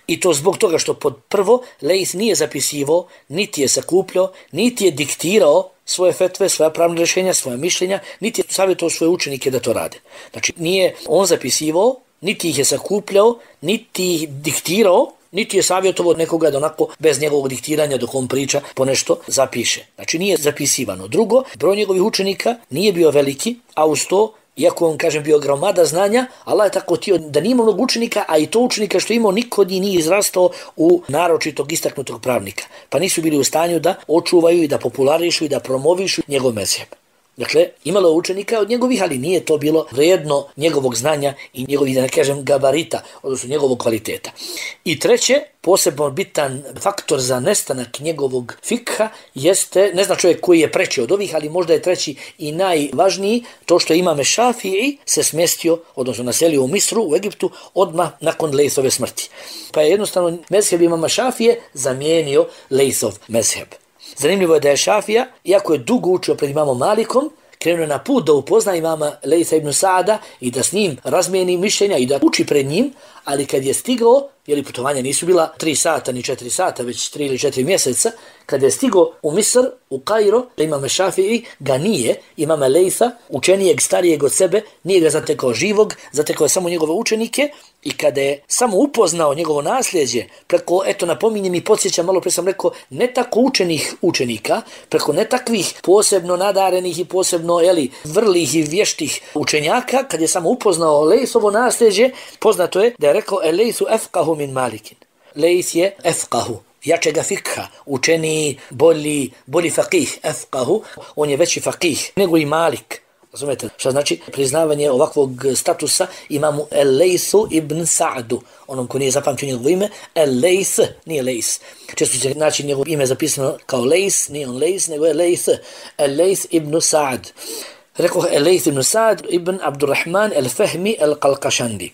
i to zbog toga što pod prvo Lejth nije zapisivao, niti je sakupljao, niti je diktirao svoje fetve, svoja pravna rješenja, svoja mišljenja, niti je savjetovao svoje učenike da to rade. Znači, nije on zapisivao, niti ih je sakupljao, niti ih diktirao, niti je savjetovao nekoga da onako bez njegovog diktiranja dok on priča po nešto zapiše. Znači nije zapisivano. Drugo, broj njegovih učenika nije bio veliki, a uz to, iako on, kažem, bio gromada znanja, Allah je tako htio da nije mnogo učenika, a i to učenika što imao niko od njih nije izrastao u naročitog istaknutog pravnika. Pa nisu bili u stanju da očuvaju i da popularišu i da promovišu njegov mezheb. Dakle, imalo učenika od njegovih, ali nije to bilo vrijedno njegovog znanja i njegovih, da ne kažem, gabarita, odnosno njegovog kvaliteta. I treće, posebno bitan faktor za nestanak njegovog fikha jeste, ne zna čovjek koji je preći od ovih, ali možda je treći i najvažniji, to što imame Šafii se smjestio, odnosno naselio u Misru, u Egiptu, odmah nakon Lejthove smrti. Pa je jednostavno mezheb imama Šafije zamijenio Lejthov mezheb. Zanimljivo je da je Šafija, iako je dugo učio pred imamom Malikom, krenuo na put da upozna imama Lejtha ibn Sa'ada i da s njim razmijeni mišljenja i da uči pred njim, ali kad je stigao, jer putovanja nisu bila 3 sata ni 4 sata, već 3 ili 4 mjeseca, kad je stigao u Misr, u Kairo, imam Šafii ga nije, imama Lejtha, učenijeg, starijeg od sebe, nije ga zatekao živog, zatekao je samo njegove učenike, i kada je samo upoznao njegovo nasljeđe, preko, eto, napominjem i podsjećam, malo pre sam rekao, ne tako učenih učenika, preko ne takvih posebno nadarenih i posebno, vrlih i vještih učenjaka, kad je samo upoznao Lejthovo nasljeđe, poznato je da je rekao Lejthu efqahu min Malikin. Lejth je efqahu, jačega fikha, učeniji, bolji faqih, efqahu, on je veći faqih nego i Malik. Razumete? Što znači priznavanje ovakvog statusa imamu Lejthu ibn Sa'adu, onom ko nije zapamtio njegovo ime, Lejth, nije Lejth. Često će naći njegovo ime zapisano kao Lejth, nije on Lejth, nego je Lejth, Lejth ibn Sa'ad. Rekao Lejth ibn Sa'ad ibn Abdurrahman al-Fahmi al-Qalqashandi.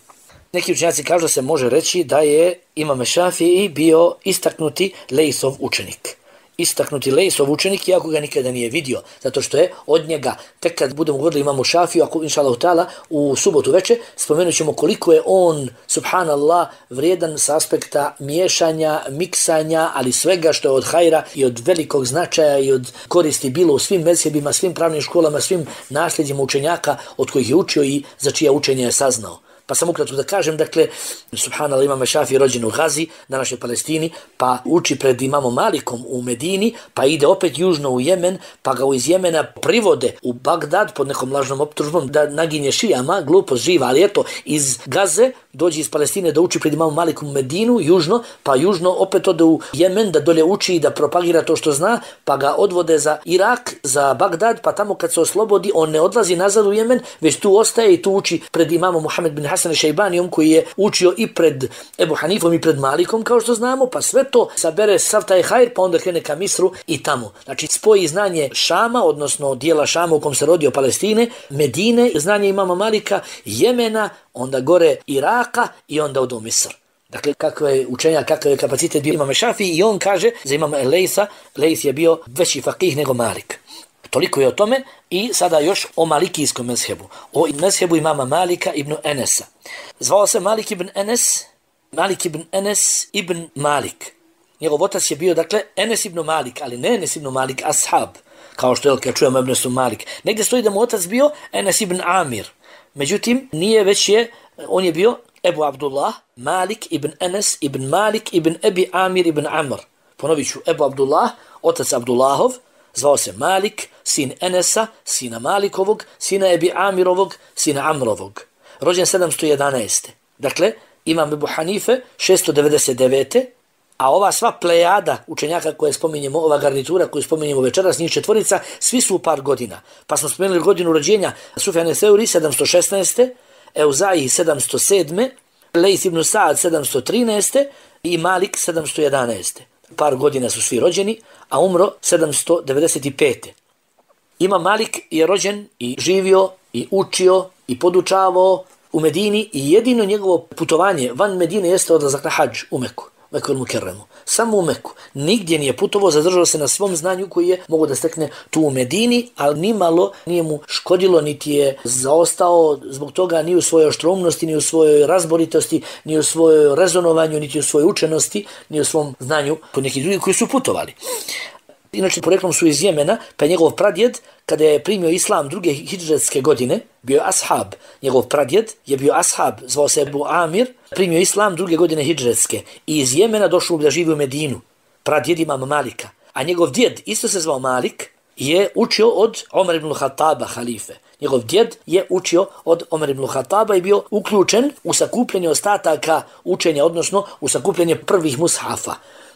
Neki učenjaci kažu da se može reći da je imam Šafii bio istaknuti Lejthov učenik. istaknuti Lejsov učenik, iako ga nikada nije vidio, zato što je od njega, tek kad budemo govorili imamo Šafiju, ako inšallahu ta'ala u subotu veče, spomenut ćemo koliko je on, subhanallah, vrijedan s aspekta miješanja, miksanja, ali svega što je od hajra i od velikog značaja i od koristi bilo u svim mezhebima, svim pravnim školama, svim nasljeđima učenjaka od kojih je učio i za čija učenje je saznao. Pa sam ukratko da kažem, dakle, subhanallah, imam Šafij rođen u Gazi, današnjoj Palestini, pa uči pred imamom Malikom u Medini, pa ide opet južno u Jemen, pa ga iz Jemena privode u Bagdad pod nekom lažnom optužbom da naginje šijama, glupost živa, ali eto, iz Gaze dođe iz Palestine da uči pred imamom Malikom u Medinu, južno, pa južno opet ode u Jemen da dolje uči i da propagira to što zna, pa ga odvode za Irak, za Bagdad, pa tamo kad se oslobodi, on ne odlazi nazad u Jemen, već tu ostaje i tu uči pred imamom Muhammed bin Hasan Šejbanijom koji je učio i pred Ebu Hanifom i pred Malikom, kao što znamo, pa sve to sabere sav taj hajr, pa onda krene ka Misru i tamo. Znači spoji znanje Šama, odnosno dijela Šama u kom se rodio Palestine, Medine, znanje imama Malika, Jemena, onda gore Iraka i onda od Misr. Dakle, kakva je učenja, kakav je kapacitet bio imam Šafij i on kaže za imama Lejsa, Lejs je bio veći fakih nego Malik. Toliko je o tome i sada još o malikijskom mezhebu. O mezhebu imama Malika ibn Enesa. Zvao se Malik ibn Enes ibn Malik. Njegov otac je bio, dakle, Enes ibn Malik, ali ne Enes ibn Malik, ashab. Kao što je, kad čujemo Enes ibn Malik. Negdje stoji da mu otac bio Enes ibn Amir. Međutim, nije, već je, on je bio Ebu Abdullah, Malik ibn Enes ibn Malik ibn Ebi Amir ibn Amr. Ponovit ću, Ebu Abdullah, otac Abdullahov, zvao se Malik, sin Enesa, sina Malikovog, sina Ebi Amirovog, sina Amrovog. Rođen 711. Dakle, imam Ebu Hanife 699. A ova sva plejada učenjaka koje spominjemo, ova garnitura koju spominjemo večeras, njih četvorica, svi su u par godina. Pa smo spomenuli godinu rođenja Sufjane Theuri 716. Euzaji 707. Lejth ibn Sa'ad 713. i Malik 711. Par godina su svi rođeni, a umro 795. Imam Malik je rođen i živio i učio i podučavao u Medini i jedino njegovo putovanje van Medine jeste odlazak na hadž u Meku, Meku al-Mukerremu. Samo u Meku. Nigdje nije putovao, zadržao se na svom znanju koji je mogo da stekne tu u Medini, ali nimalo nije mu škodilo, niti je zaostao zbog toga ni u svojoj oštroumnosti, ni u svojoj razboritosti, ni u svojoj rezonovanju, niti u svojoj učenosti, ni u svom znanju kod nekih drugih koji su putovali. Inače, poreklom su iz Jemena, pa je njegov pradjed, kada je primio islam druge hidžretske godine, bio je ashab. Njegov pradjed je bio ashab, zvao se Ebu Amir, primio islam druge godine hidžretske i iz Jemena došao da živi u Medinu. Pradjed imam Malika. A njegov djed, isto se zvao Malik, je učio od Omer ibn Khattaba, halife. Njegov djed je učio od Omer ibn Khattaba i bio uključen u sakupljanje ostataka učenja, odnosno u sakupljanje prvih mushafa.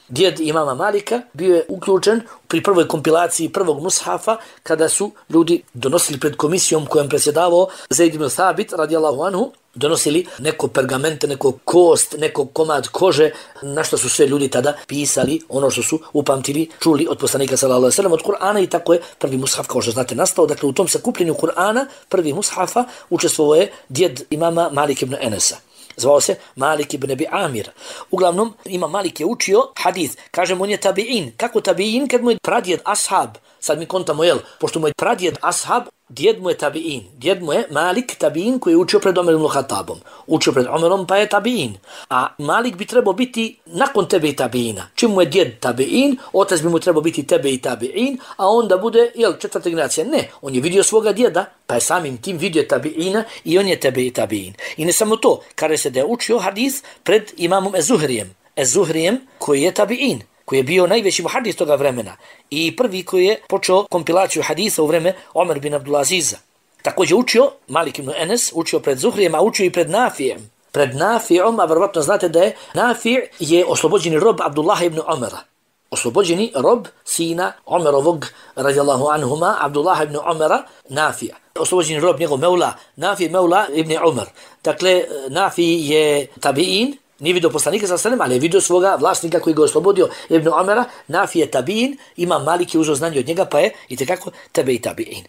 Djed imama Malika bio je uključen pri prvoj kompilaciji prvog mushafa kada su ljudi donosili pred komisijom kojom predsjedavao Zaid ibn Thabit radijallahu anhu, donosili neko pergamente, neko kost, neko komad kože, na što su sve ljudi tada pisali ono što su upamtili, čuli od poslanika sallallahu alejhi ve sellem, od Kur'ana i tako je prvi mushaf, kao što znate, nastao. Dakle, u tom sakupljenju Kur'ana, prvi mushafa, učestvovao je djed imama Malik ibn Enesa. Zvao se Malik ibn Ebi Amir. Uglavnom, imam Malik je učio hadith. Kažem, on je tabi'in. Kako tabi'in? Kad mu je pradjed ashab. Sad mi kontamo, pošto mu je pradjed ashab, djed mu je tabi'in. Djed mu je Malik tabi'in koji je učio pred Omer ibn Khattabom. Učio pred Omerom pa je tabi'in. A Malik bi trebao biti nakon tebe i tabi'ina. Čim mu je djed tabi'in, otac bi mu trebao biti tebe i tabi'in, a onda bude, četvrta generacija. Ne, on je vidio svoga djeda, pa je samim tim vidio tabi'ina i on je tebe i tabi'in. I ne samo to, kada se da je učio hadis pred imamom Ezuhrijem, koji je tabi'in, koji je bio najveći muhadis toga vremena i prvi koji je počeo kompilaciju hadisa u vreme Omer bin Abdulaziza. Također učio, Malik ibn Enes, učio pred Zuhrijem, a učio i pred Nafijem. Pred Nafijem, a verovatno znate da je Nafi je oslobođeni rob Abdullah ibn Omera. Oslobođeni rob sina Omerovog, radijallahu anhuma, Abdullah ibn Omera, Nafija. Oslobođeni rob njegov Meula, Nafi Meula ibn Omer. Dakle, Nafi je tabi'in, nije vidio poslanika sa selem, ali je vidio svoga vlasnika koji ga je oslobodio Ibn Omera. Nafi je tabi'in, imam Malik je uzeo znanje od njega, pa je itekako tebe i tabi'in.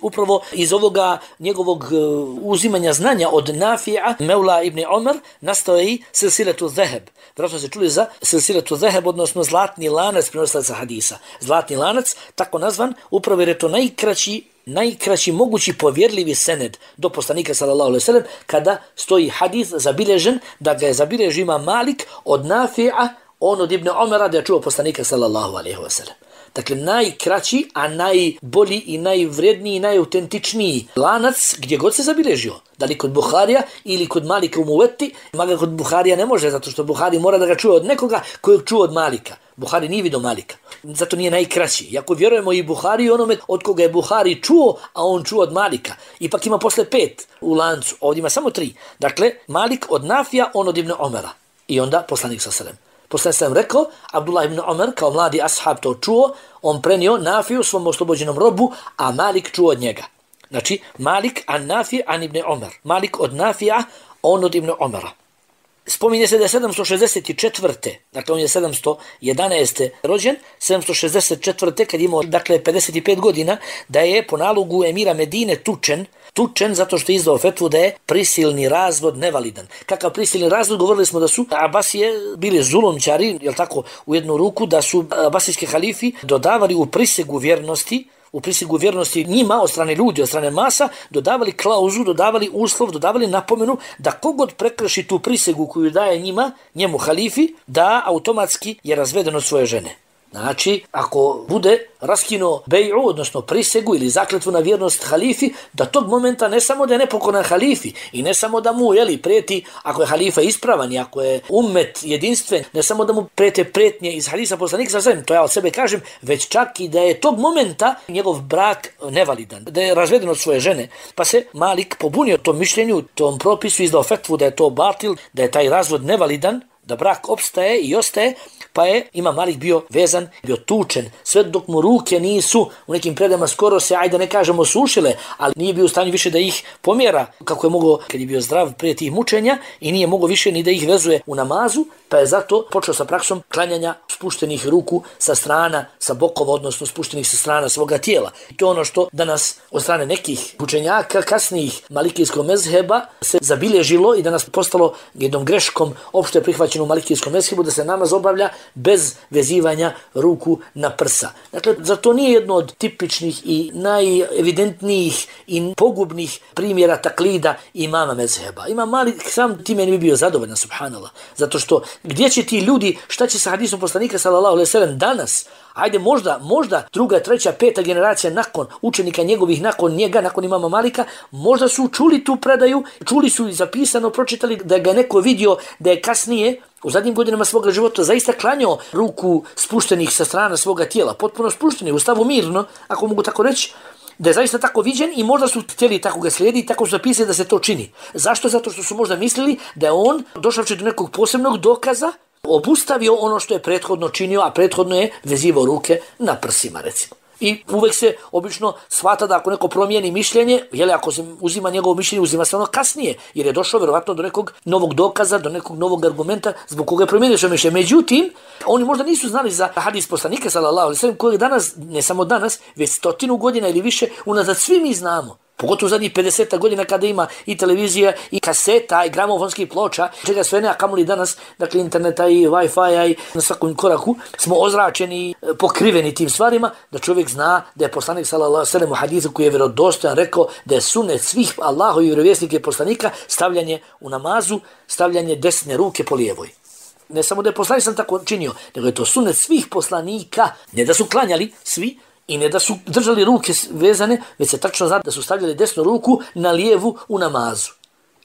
Upravo iz ovoga njegovog uzimanja znanja od Nafija, Mevla ibn Omer, nastao je i silsiletu zeheb. Vjerojatno se čuli za silsiletu zeheb, odnosno zlatni lanac prenosilaca hadisa. Zlatni lanac, tako nazvan, upravo jer je to najkraći mogući povjerljivi sened do poslanika sallallahu alejhi ve sellem, kada stoji hadis zabilježen, da ga je zabilježio Imam Malik od Nafija, on od Ibn Omera, da je čuo poslanika sallallahu alejhi ve sellem. Dakle, najkraći, a najbolji i najvredniji i najautentičniji lanac gdje god se zabilježio. Da li kod Buharija ili kod Malika u Muveti, maga kod Buharija ne može, zato što Buhari mora da ga čuje od nekoga kojeg čuo od Malika. Buhari nije vidio Malika. Zato nije najkraći. Iako vjerujemo i Buhari onome od koga je Buhari čuo, a on čuo od Malika. Ipak ima posle 5 u lancu. Ovdje ima samo 3. Dakle, Malik od Nafija, on od Ibn Omera. I onda poslanik sallallahu alejhi ve sellem. Poslanik sam rekao, Abdullah ibn Omer kao mladi ashab to čuo, on prenio Nafiju svom oslobođenom robu, a Malik čuo od njega. Znači, Malik an Nafi an ibn Omer. Malik od Nafija, on od Ibn Omera. Spominje se da je 764. Dakle, on je 711. rođen, 764. kad imao, dakle, 55 godina, da je po nalogu emira Medine tučen zato što je izdao fetvu da je prisilni razvod nevalidan. Kakav prisilni razvod? Govorili smo da su Abasije bili zulumčari, jel tako, u jednu ruku, da su abasijski halifi dodavali u prisegu vjernosti njima, od strane ljudi, od strane masa, dodavali klauzu, dodavali uslov, dodavali napomenu da kogod prekrši tu prisegu koju daje njemu halifi, da automatski je razveden od svoje žene. Znači, ako bude raskinuo bej'u, odnosno prisegu ili zakletvu na vjernost halifi, da tog momenta ne samo da je nepokoran halifi i ne samo da mu prijeti, ako je halifa ispravan i ako je ummet jedinstven, ne samo da mu prijete prijetnje iz hadisa poslanika sallallahu alejhi ve sellem, to ja od sebe kažem, već čak i da je tog momenta njegov brak nevalidan, da je razveden od svoje žene. Pa se Malik pobunio tom mišljenju, tom propisu, izdao fetvu da je to batil, da je taj razvod nevalidan, da brak opstaje i ostaje, pa je Imam Malik bio vezan, bio tučen, sve dok mu ruke nisu u nekim predama skoro se, ajde ne kažemo, sušile, ali nije bio u stanju više da ih pomjera, kako je mogao kad je bio zdrav prije tih mučenja, i nije mogao više ni da ih vezuje u namazu, pa je zato počeo sa praksom klanjanja spuštenih ruku sa strana, sa bokova, odnosno spuštenih sa strana svoga tijela. I to je ono što danas od strane nekih učenjaka kasnijih malikijskog mezheba se zabilježilo i danas postalo jednom greškom opšte prihvaćeno u malikijskom mezhebu da se namaz obavlja bez vezivanja ruku na prsa. Dakle, za to nije jedno od tipičnih i najevidentnijih i pogubnih primjera taklida imama mezheba. Imam Malik sam time ne bi bio zadovoljan, subhanallah. Zato što gdje će ti ljudi, šta će sa hadisom poslanika sallallahu alejhi ve sellem danas? Ajde, možda druga, treća, peta generacija nakon učenika njegovih, nakon njega, nakon imama Malika, možda su čuli tu predaju, čuli su i zapisano, pročitali da ga neko vidio da je kasnije u zadnjim godinama svoga života zaista klanjao ruku spuštenih sa strana svoga tijela, potpuno spuštenih, u stavu mirno, ako mogu tako reći, da je zaista tako viđen i možda su htjeli tako ga slijedi i tako su zapisali da se to čini. Zašto? Zato što su možda mislili da je on došavši do nekog posebnog dokaza obustavio ono što je prethodno činio, a prethodno je vezivao ruke na prsima, recimo. I uvek se obično shvata da ako neko promijeni mišljenje, ako se uzima njegovo mišljenje, uzima se ono kasnije, jer je došao vjerovatno do nekog novog dokaza, do nekog novog argumenta zbog koga je promijenio svoje mišljenje. Međutim, oni možda nisu znali za hadis poslanika sallallahu alejhi ve sellem, kojeg danas, ne samo danas, već 100 godina ili više unazad svi mi znamo. Pogotovo zadnjih 50 godina kada ima i televizija, i kaseta, i gramofonskih ploča, čega sve ne, a kamoli danas, dakle interneta i Wi-Fi-a i na svakom koraku, smo ozračeni, pokriveni tim stvarima, da čovjek zna da je poslanik sallallahu alejhi ve sellem u hadisu koji je vjerodostojan rekao da je sunnet svih Allahovih vjerovjesnika i poslanika stavljanje u namazu, stavljanje desne ruke po lijevoj. Ne samo da je poslanik sam tako činio, nego je to sunnet svih poslanika, ne da su klanjali svi, i ne da su držali ruke vezane, već se tačno zna da su stavljali desnu ruku na lijevu u namazu.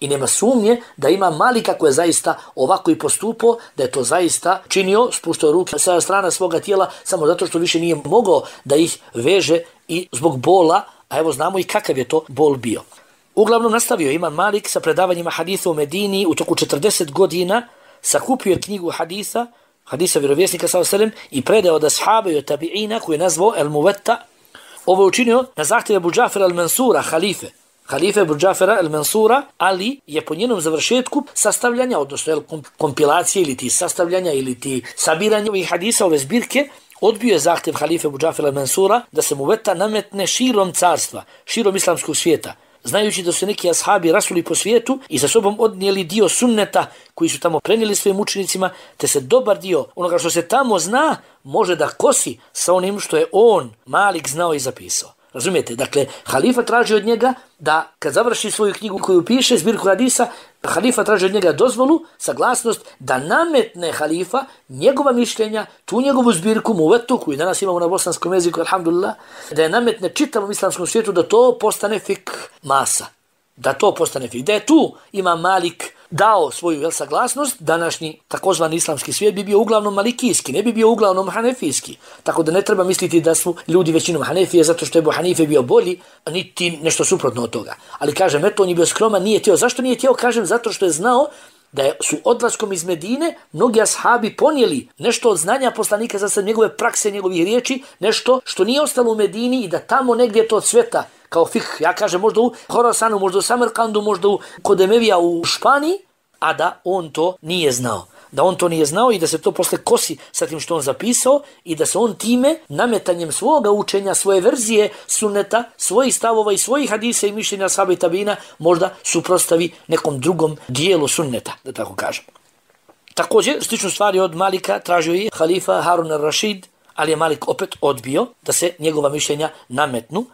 I nema sumnje da ima Malik kako je zaista ovako i postupao, da je to zaista činio, spuštao ruke sa strana svoga tijela, samo zato što više nije mogao da ih veže i zbog bola, a evo znamo i kakav je to bol bio. Uglavnom nastavio Imam Malik sa predavanjima hadisa u Medini u toku 40 godina, sakupio je knjigu hadisa vjerovjesnika sallallahu alejhi ve sellem i predao od ashaba i od tabiina koji je nazvao El Muvetta. Ovo je učinio na zahtjev Abu Džafera al-Mansura, halife Abu Džafera al-Mansura, ali je po njenom završetku sastavljanja, odnosno kompilacije ili ti sastavljanja ili ti sabiranja ovih hadisa, ove zbirke, odbio je zahtjev halife Ebu Džafera Mansura da se muveta nametne širom carstva, širom islamskog svijeta, znajući da su neki ashabi rasuli po svijetu i sa sobom odnijeli dio sunneta koji su tamo prenijeli svojim učenicima, te se dobar dio onoga što se tamo zna može da kosi sa onim što je on, Malik, znao i zapisao. Razumijete? Dakle, halifa traži od njega da kad završi svoju knjigu koju piše, zbirku hadisa, halifa traži od njega dozvolu, saglasnost da nametne halifa njegova mišljenja, tu njegovu zbirku muvetu koju danas imamo na bosanskom jeziku, alhamdulillah, da je nametne čitavom islamskom svijetu da to postane fik masa. Da to postane fik. Da je tu ima Malik dao svoju saglasnost, današnji takozvani islamski svijet bi bio uglavnom malikijski, ne bi bio uglavnom hanefijski. Tako da ne treba misliti da su ljudi većinom Hanefije zato što je Ebu Hanife bio bolji, niti nešto suprotno od toga. Ali kažem, eto, on je bio skroman, nije htio. Zašto nije htio? Kažem, zato što je znao da su odlaskom iz Medine mnogi ashabi ponijeli nešto od znanja poslanika za sad njegove prakse, njegovih riječi, nešto što nije ostalo u Medini i da tamo negdje to cveta kao fik, ja kažem možda u Horasanu, možda u Samarkandu, možda kod Emevija u Španiji, a da on to nije znao. Da on to nije znao i da se to posle kosi sa tim što on zapisao i da se on time, nametanjem svoga učenja, svoje verzije sunneta, svojih stavova i svojih hadisa i mišljenja ashaba i tabina možda suprotstavi nekom drugom dijelu sunneta, da tako kažem. Također, sličnu stvari od Malika tražio i halifa Harun al-Rašid, ali je Malik opet odbio da se njegova mišljenja nametnu.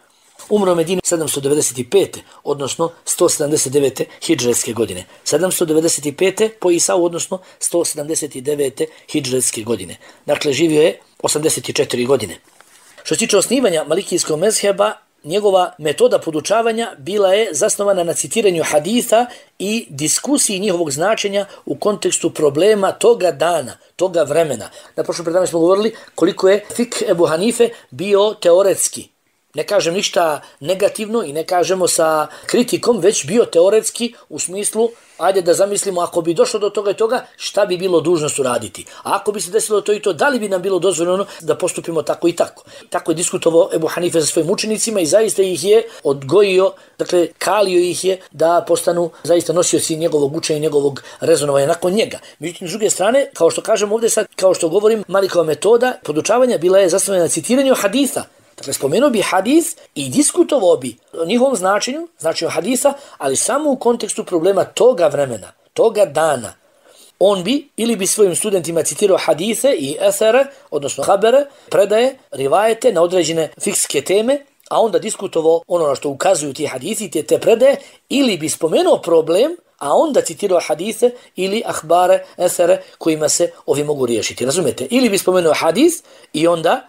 Umro u Medini 795. odnosno 179. hidžretske godine. 795. po Isau, odnosno 179. hidžretske godine. Dakle, živio je 84 godine. Što se tiče osnivanja malikijskog mezheba, njegova metoda podučavanja bila je zasnovana na citiranju haditha i diskusiji njihovog značenja u kontekstu problema toga dana, toga vremena. Na prošlom predavanju smo govorili koliko je fik Ebu Hanife bio teoretski. Ne kažem ništa negativno i ne kažemo sa kritikom, već bio teoretski u smislu, ajde da zamislimo ako bi došlo do toga i toga, šta bi bilo dužnost uraditi. A ako bi se desilo to i to, da li bi nam bilo dozvoljeno da postupimo tako i tako. Tako je diskutovao Ebu Hanife sa svojim učenicima i zaista ih je odgojio, dakle kalio ih je da postanu zaista nosioci njegovog učenja i njegovog rezonovanja nakon njega. Međutim, s druge strane, kao što kažem ovdje sad, kao što govorim, Malikova metoda podučavanja bila je zasnovana na citiranju haditha. Dakle, spomenuo bi hadis i diskutovao bi o njihovom značenju hadisa, ali samo u kontekstu problema toga vremena, toga dana. On bi ili bi svojim studentima citirao hadise i esere, odnosno habere, predaje, rivajete na određene fikske teme, a onda diskutovao ono na što ukazuju ti hadisi i te predaje, ili bi spomenuo problem, a onda citirao hadise ili ahbare, esere kojima se ovi mogu riješiti. Razumete? Ili bi spomenuo hadis i onda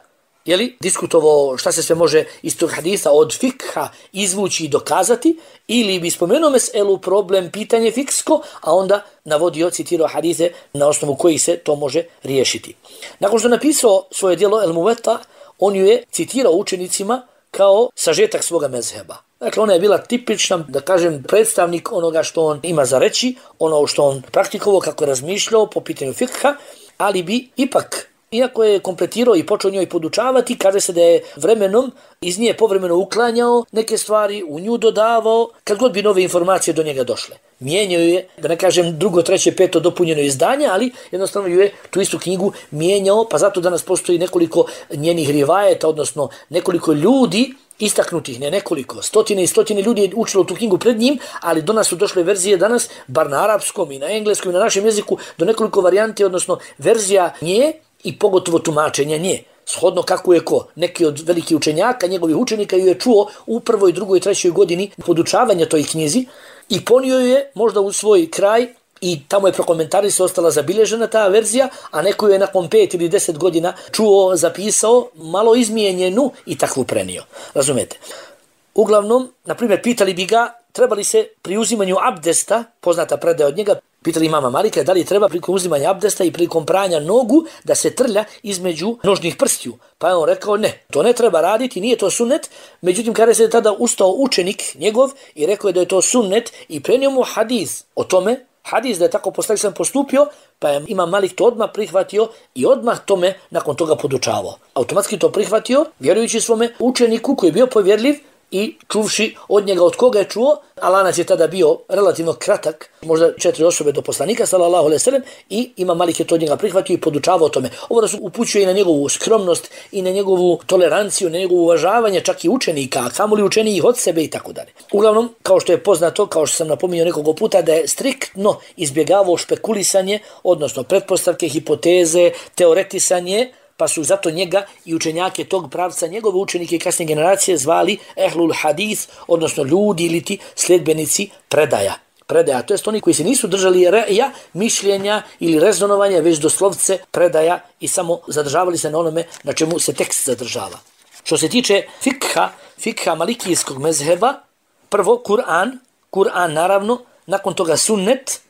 diskutovao šta se sve može iz tog hadisa od fikha izvući i dokazati, ili bi spomenuo meselu, problem, pitanje fiksko, a onda navodio, citirao hadise na osnovu kojih se to može riješiti. Nakon što napisao svoje djelo El Muveta, on ju je citirao učenicima kao sažetak svoga mezheba. Dakle, ona je bila tipična, da kažem, predstavnik onoga što on ima za reći, ono što on praktikovao, kako je razmišljao po pitanju fikha, ali bi ipak, iako je kompletirao i počeo njoj podučavati, kaže se da je vremenom iz nje povremeno uklanjao neke stvari, u nju dodavao, kad god bi nove informacije do njega došle. Mijenjao je, da ne kažem drugo, treće, peto dopunjeno izdanje, ali jednostavno ju je tu istu knjigu mijenjao, pa zato danas postoji nekoliko njenih rivajeta, odnosno nekoliko ljudi, istaknutih, ne nekoliko, stotine i stotine ljudi je učilo tu knjigu pred njim, ali do nas su došle verzije danas, bar na arapskom i na engleskom i na našem jeziku, do nekoliko varijanti, odnosno verzija nje i pogotovo tumačenja nje. Shodno kako je ko. Neki od velikih učenjaka, njegovih učenika ju je čuo u prvoj, drugoj, trećoj godini podučavanja toj knjizi i ponio ju je možda u svoj kraj i tamo je prokomentarisao, ostala zabilježena ta verzija, a neko ju je nakon 5 ili 10 godina čuo, zapisao, malo izmijenjenu i takvu prenio. Razumete? Uglavnom, na primjer, pitali bi ga, trebali se pri uzimanju abdesta, poznata predaja od njega, pitali imama Malika da li treba prilikom uzimanja abdesta i prilikom pranja nogu da se trlja između nožnih prstiju. Pa je on rekao ne, to ne treba raditi, nije to sunnet. Međutim, kada se tada ustao učenik njegov i rekao je da je to sunnet i prenio mu hadis o tome, hadis da je tako poslanik sam postupio, pa je imam Malik to odmah prihvatio i odmah tome nakon toga podučavao. Automatski to prihvatio, vjerujući svome učeniku koji je bio povjerljiv i čuvši od njega od koga je čuo, a lanac je tada bio relativno kratak, možda 4 osobe do poslanika sallallahu alejhi ve sellem, i Imam Malik je to od njega prihvatio i podučavao o tome. Ovo da su upućuje i na njegovu skromnost i na njegovu toleranciju, na njegovu uvažavanje čak i učenika, a kamoli učenijih od sebe i tako dalje. Uglavnom, kao što je poznato, kao što sam napominjao nekoliko puta, da je striktno izbjegavao špekulisanje, odnosno pretpostavke, hipoteze, teoretisanje, pa su zato njega i učenjake tog pravca, njegove učenike i kasnije generacije zvali ehlul hadith, odnosno ljudi ili ti sljedbenici predaja. Predaja, to jest oni koji se nisu držali reja, mišljenja ili rezonovanja, već doslovce predaja i samo zadržavali se na onome na čemu se tekst zadržava. Što se tiče fikha malikijskog mezheba, prvo Kur'an naravno, nakon toga sunnet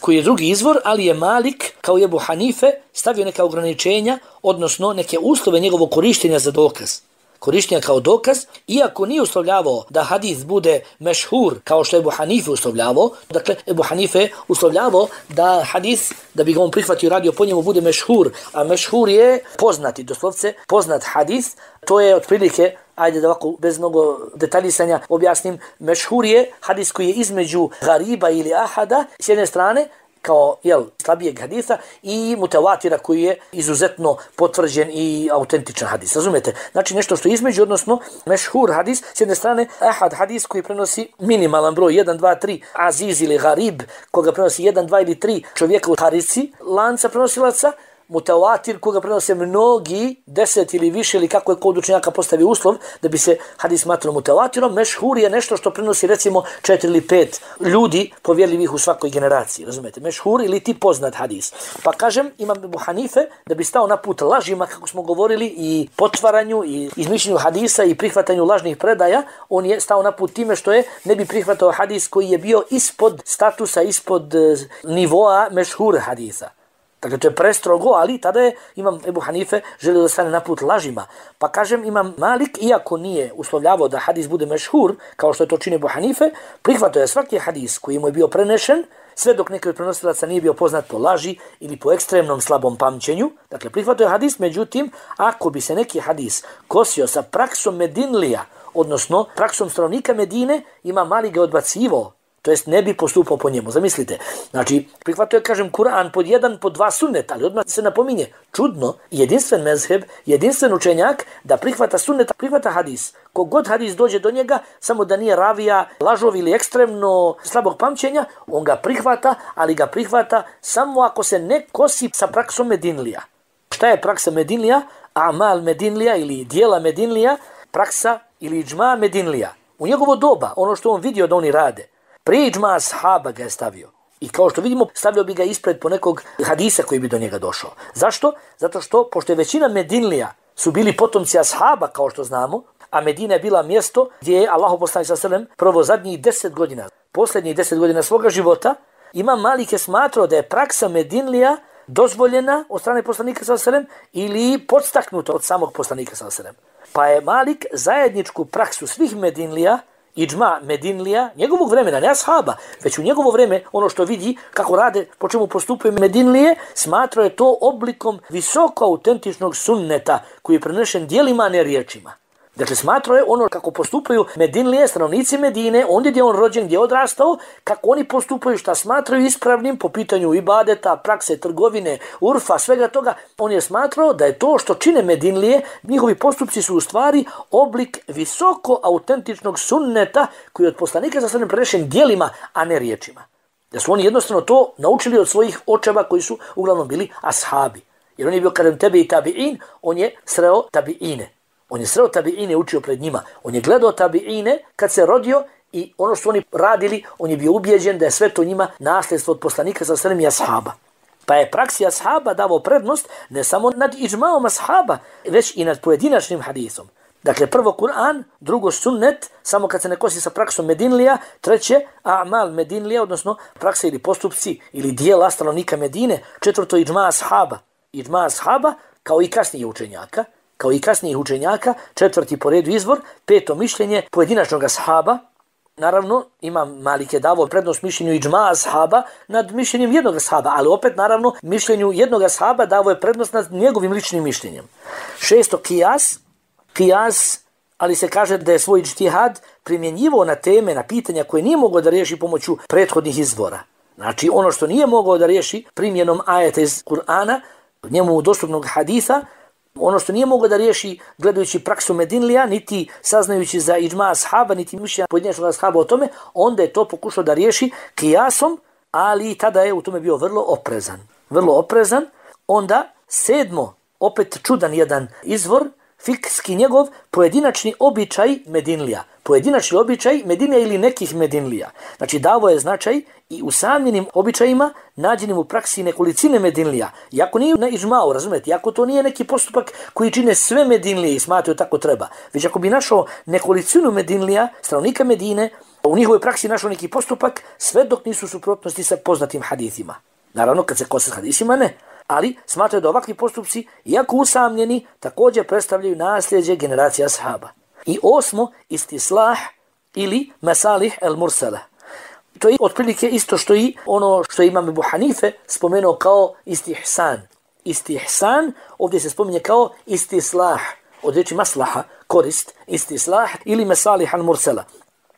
koji je drugi izvor, ali je Malik kao i Ebu Hanife stavio neka ograničenja, odnosno neke uslove njegovog korištenja za dokaz. Korištenja kao dokaz, iako nije uslovljavao da hadis bude mešhur kao što je Ebu Hanife uslovljavao, dakle Ebu Hanife uslovljavao da hadis, da bi ga on prihvatio i radio po njemu, bude mešhur, a mešhur je poznati, doslovce poznat hadis, to je otprilike, ajde da ovako bez mnogo detaljisanja objasnim, mešhur je hadis koji je između gariba ili ahada s jedne strane, kao slabijeg hadisa, i mutawatira koji je izuzetno potvrđen i autentičan hadis. Razumete? Znači nešto što je između, odnosno mešhur hadis, s jedne strane ahad hadis koji prenosi minimalan broj 1, 2, 3 aziz ili garib, koga prenosi 1, 2 ili 3 čovjeka u harici, lanca prenosilaca, mutawatir koga prenose mnogi, 10 ili više, ili kako je kod učenjaka postavi uslov da bi se hadis smatrao mutawatirom. Mešhur je nešto što prenosi recimo 4 ili 5 ljudi povjerljivih u svakoj generaciji. Razumete? Mešhur ili ti poznat hadis. Pa kažem, Imam Ebu Hanife, da bi stao na put lažima, kako smo govorili, i potvaranju i izmišljenju hadisa i prihvatanju lažnih predaja, on je stao na put time što je ne bi prihvatao hadis koji je bio ispod statusa, ispod nivoa mešhur hadisa. Dakle, to je prestrogo, ali tada je Imam Ebu Hanife želio da stane na put lažima. Pa kažem, Imam Malik, iako nije uslovljavao da hadis bude mešhur, kao što je to čini Ebu Hanife, prihvatio je svaki hadis koji mu je bio prenešen, sve dok neki od prenosilaca nije bio poznat po laži ili po ekstremnom slabom pamćenju. Dakle, prihvatio je hadis, međutim, ako bi se neki hadis kosio sa praksom Medinlija, odnosno praksom stanovnika Medine, Imam Malik ga odbacivao, to jest ne bi postupao po njemu. Zamislite, znači prihvatio je, kažem, Kur'an pod 1, pod 2 sunnet, ali odmah se napominje, čudno, jedinstven mezheb, jedinstven učenjak da prihvata sunnet, prihvata hadis. Kogod hadis dođe do njega, samo da nije ravija, lažov ili ekstremno slabog pamćenja, on ga prihvata, ali ga prihvata samo ako se ne kosi sa praksom Medinlija. Šta je praksa Medinlija? Amal Medinlija ili dijela Medinlija, praksa ili džma Medinlija. U njegovo doba, ono što on vidio da oni rade, prije džma ashaba ga je stavio. I kao što vidimo, stavio bi ga ispred po nekog hadisa koji bi do njega došao. Zašto? Zato što, pošto je većina Medinlija su bili potomci ashaba, kao što znamo, a Medina je bila mjesto gdje je Allahov poslanik sallallahu alejhi ve sellem prvo zadnjih 10 godina, posljednjih 10 godina svoga života, Imam Malik je smatrao da je praksa Medinlija dozvoljena od strane poslanika sallallahu alejhi ve sellem ili podstaknuta od samog poslanika sallallahu alejhi ve sellem. Pa je Malik zajedničku praksu svih Medinlija, iđma Medinlija, njegovog vremena, ne ashaba, već u njegovo vreme, ono što vidi, kako rade, po čemu postupaju Medinlije, smatrao je to oblikom visoko autentičnog sunneta koji je prenešen djelima, a ne riječima. Dakle, smatrao je ono kako postupaju Medinlije, stanovnici Medine, ondje gdje on rođen, gdje je odrastao, kako oni postupaju, šta smatraju ispravnim po pitanju ibadeta, prakse, trgovine, urfa, svega toga. On je smatrao da je to što čine Medinlije, njihovi postupci su u stvari oblik visoko autentičnog sunneta koji je od poslanika za prenešen djelima, a ne riječima. Da su oni jednostavno to naučili od svojih očeva koji su uglavnom bili ashabi. Jer on je bio kadem tebe i tabi'in, on je sreo tabi'ine. On je sreo tabi'ine, učio pred njima. On je gledao tabi'ine kad se rodio i ono što oni radili, on je bio ubijeđen da je sve to njima nasljedstvo od poslanika sa sredem i ashaba. Pa je praksi ashaba davao prednost ne samo nad iđmaom ashaba, već i nad pojedinačnim hadisom. Dakle, prvo Kur'an, drugo sunnet, samo kad se ne kosi sa praksom Medinlija, treće a'mal Medinlija, odnosno praksa ili postupci ili dijela stanovnika Medine, četvrto iđma ashaba. Iđma ashaba kao i kasnijih učenjaka, četvrti po redu izvor, peto mišljenje pojedinačnog ashaba. Naravno, Imam Malik je davao prednost mišljenju iđma ashaba nad mišljenjem jednog ashaba, ali opet, naravno, mišljenju jednog ashaba davao je prednost nad njegovim ličnim mišljenjem. Šesto, kijas, ali se kaže da je svoj džtihad primjenjivo na teme, na pitanja koje nije mogao da riješi pomoću prethodnih izvora. Znači ono što nije mogao da riješi primjenom ajeta iz Kur'ana, njemu dostupnog haditha, ono što nije mogao da riješi gledajući praksu Medinlija, niti saznajući za iđma ashaba, niti mišljenja pojedinačnog ashaba o tome, onda je to pokušao da riješi kijasom, ali tada je u tome bio vrlo oprezan. Vrlo oprezan. Onda 7. opet čudan jedan izvor, fikski njegov pojedinačni običaj Medinlija. Pojedinačni običaj Medinlija ili nekih Medinlija. Znači davo je značaj i usamljenim običajima nađenim u praksi nekolicine Medinlija. Iako nije na iđmau, razumijete, iako to nije neki postupak koji čine sve Medinlije i smatraju tako treba. Već ako bi našao nekolicinu Medinlija, stanovnika Medine, u njihovoj praksi našao neki postupak, sve dok nisu u suprotnosti sa poznatim hadithima. Naravno, kad se kose s hadisima, ne. Ali smatraju da ovakvi postupci, iako usamljeni, također predstavljaju nasljeđe generacija ashaba. I 8. istislah ili masalih el mursala. To je otprilike isto što i ono što imam Ebu Hanife spomenuo kao istihsan. Istihsan ovdje se spominje kao istislah, od riječi maslaha, korist, istislah ili masalih el mursala.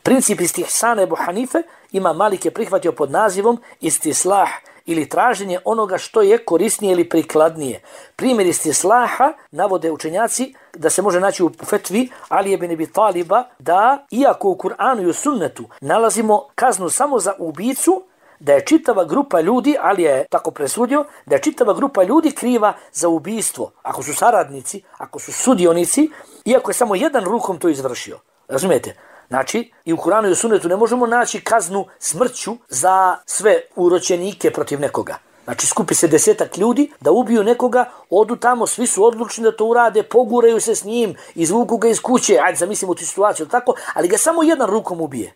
Princip istihsana Ebu Hanife ima Malik je prihvatio pod nazivom istislah ili traženje onoga što je korisnije ili prikladnije. Primjer istislaha navode učenjaci da se može naći u fetvi Ali ibn Abi Taliba da, iako u Kur'anu i u sunnetu nalazimo kaznu samo za ubicu, da je čitava grupa ljudi, Ali je tako presudio, da je čitava grupa ljudi kriva za ubijstvo. Ako su saradnici, ako su sudionici, iako je samo jedan rukom to izvršio. Razumijete? Znači, i u Kur'anu i u sunnetu ne možemo naći kaznu smrću za sve uročenike protiv nekoga. Znači, skupi se 10 ljudi da ubiju nekoga, odu tamo, svi su odlučni da to urade, poguraju se s njim, izvuku ga iz kuće, ajde zamislimo tu situaciju, tako, ali ga samo jedan rukom ubije.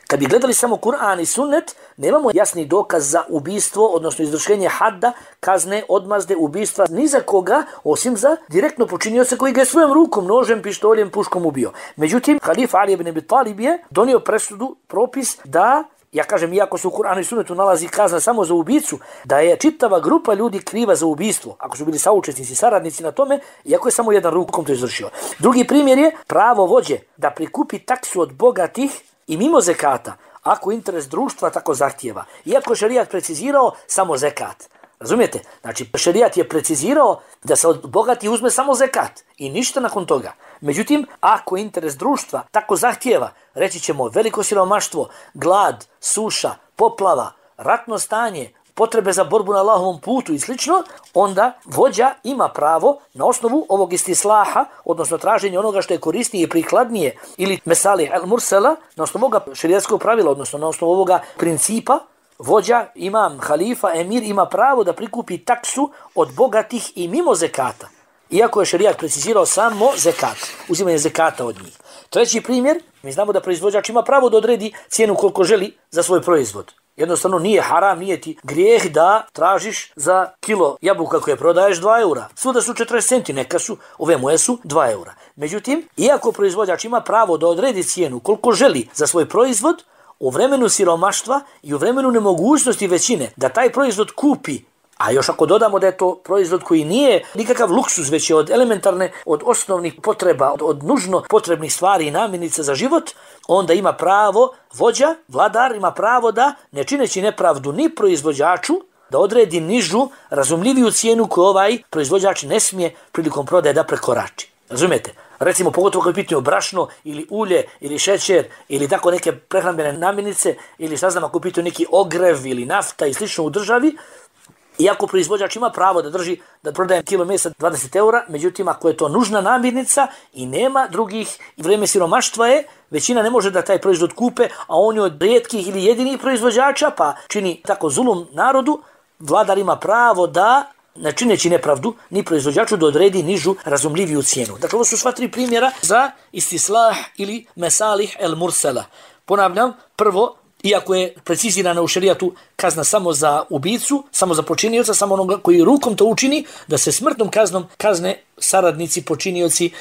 Kad bi gledali samo Kur'an i sunnet, nemamo jasni dokaz za ubijstvo, odnosno izvršenje hadda, kazne, odmazde, ubijstva, ni za koga, osim za direktno počinioca koji ga je svojom rukom, nožem, pištoljem, puškom ubio. Međutim, halifa Ali ibn Abi Talib je donio presudu, propis da, ja kažem, iako se u Kur'anu i sunnetu nalazi kazna samo za ubicu, da je čitava grupa ljudi kriva za ubijstvo, ako su bili saučesnici, saradnici na tome, iako je samo jedan rukom to izvršio. Drugi primjer je pravo vođe da prikupi taksu od bogatih i mimo zekata, ako interes društva tako zahtijeva. Iako je šerijat precizirao samo zekat. Razumijete? Znači, šerijat je precizirao da se od bogatih uzme samo zekat i ništa nakon toga. Međutim, ako interes društva tako zahtijeva, reći ćemo veliko siromaštvo, glad, suša, poplava, ratno stanje, potrebe za borbu na Allahovom putu i slično, onda vođa ima pravo na osnovu ovog istislaha, odnosno traženje onoga što je korisnije i prikladnije, ili mesalih el mursala, na osnovu ovoga šerijatskog pravila, odnosno na osnovu ovoga principa, vođa, imam, halifa, emir ima pravo da prikupi taksu od bogatih i mimo zekata. Iako je šerijat precizirao samo zekat, uzimanje zekata od njih. Treći primjer, mi znamo da proizvođač ima pravo da odredi cijenu koliko želi za svoj proizvod. Jednostavno nije haram, nije ti grijeh da tražiš za kilo jabuka koje prodaješ 2 eura. Svuda su 40 centi, neka su, ove moje su 2 eura. Međutim, iako proizvođač ima pravo da odredi cijenu koliko želi za svoj proizvod, u vremenu siromaštva i u vremenu nemogućnosti većine da taj proizvod kupi, a još ako dodamo da je to proizvod koji nije nikakav luksuz, već je od elementarne, od osnovnih potreba, od nužno potrebnih stvari i namirnica za život, onda ima pravo, vođa, vladar ima pravo da, ne čineći nepravdu ni proizvođaču, da odredi nižu, razumljiviju cijenu koju ovaj proizvođač ne smije prilikom prodaje da prekorači. Razumijete? Recimo, pogotovo kad je pitanje brašno ili ulje ili šećer ili tako neke prehrambene namirnice ili šta znam ako je pitanje neki ogrev ili nafta i slično u državi, iako proizvođač ima pravo da drži, da prodaje kilo mesa 20 eura, međutim ako je to nužna namirnica i nema drugih, i vrijeme siromaštva je, većina ne može da taj proizvod kupe, a on je od rijetkih ili jedinih proizvođača, pa čini tako zulum narodu, vladar ima pravo da, ne čineći nepravdu, ni proizvođaču da odredi nižu, razumljiviju cijenu. Dakle, ovo su sva 3 primjera za istislah ili mesalih el mursala. Ponavljam, prvo, iako je precizirana u šerijatu kazna samo za ubicu, samo za počinioca, samo onoga koji rukom to učini, da se smrtnom kaznom kazne saradnici, počinioci,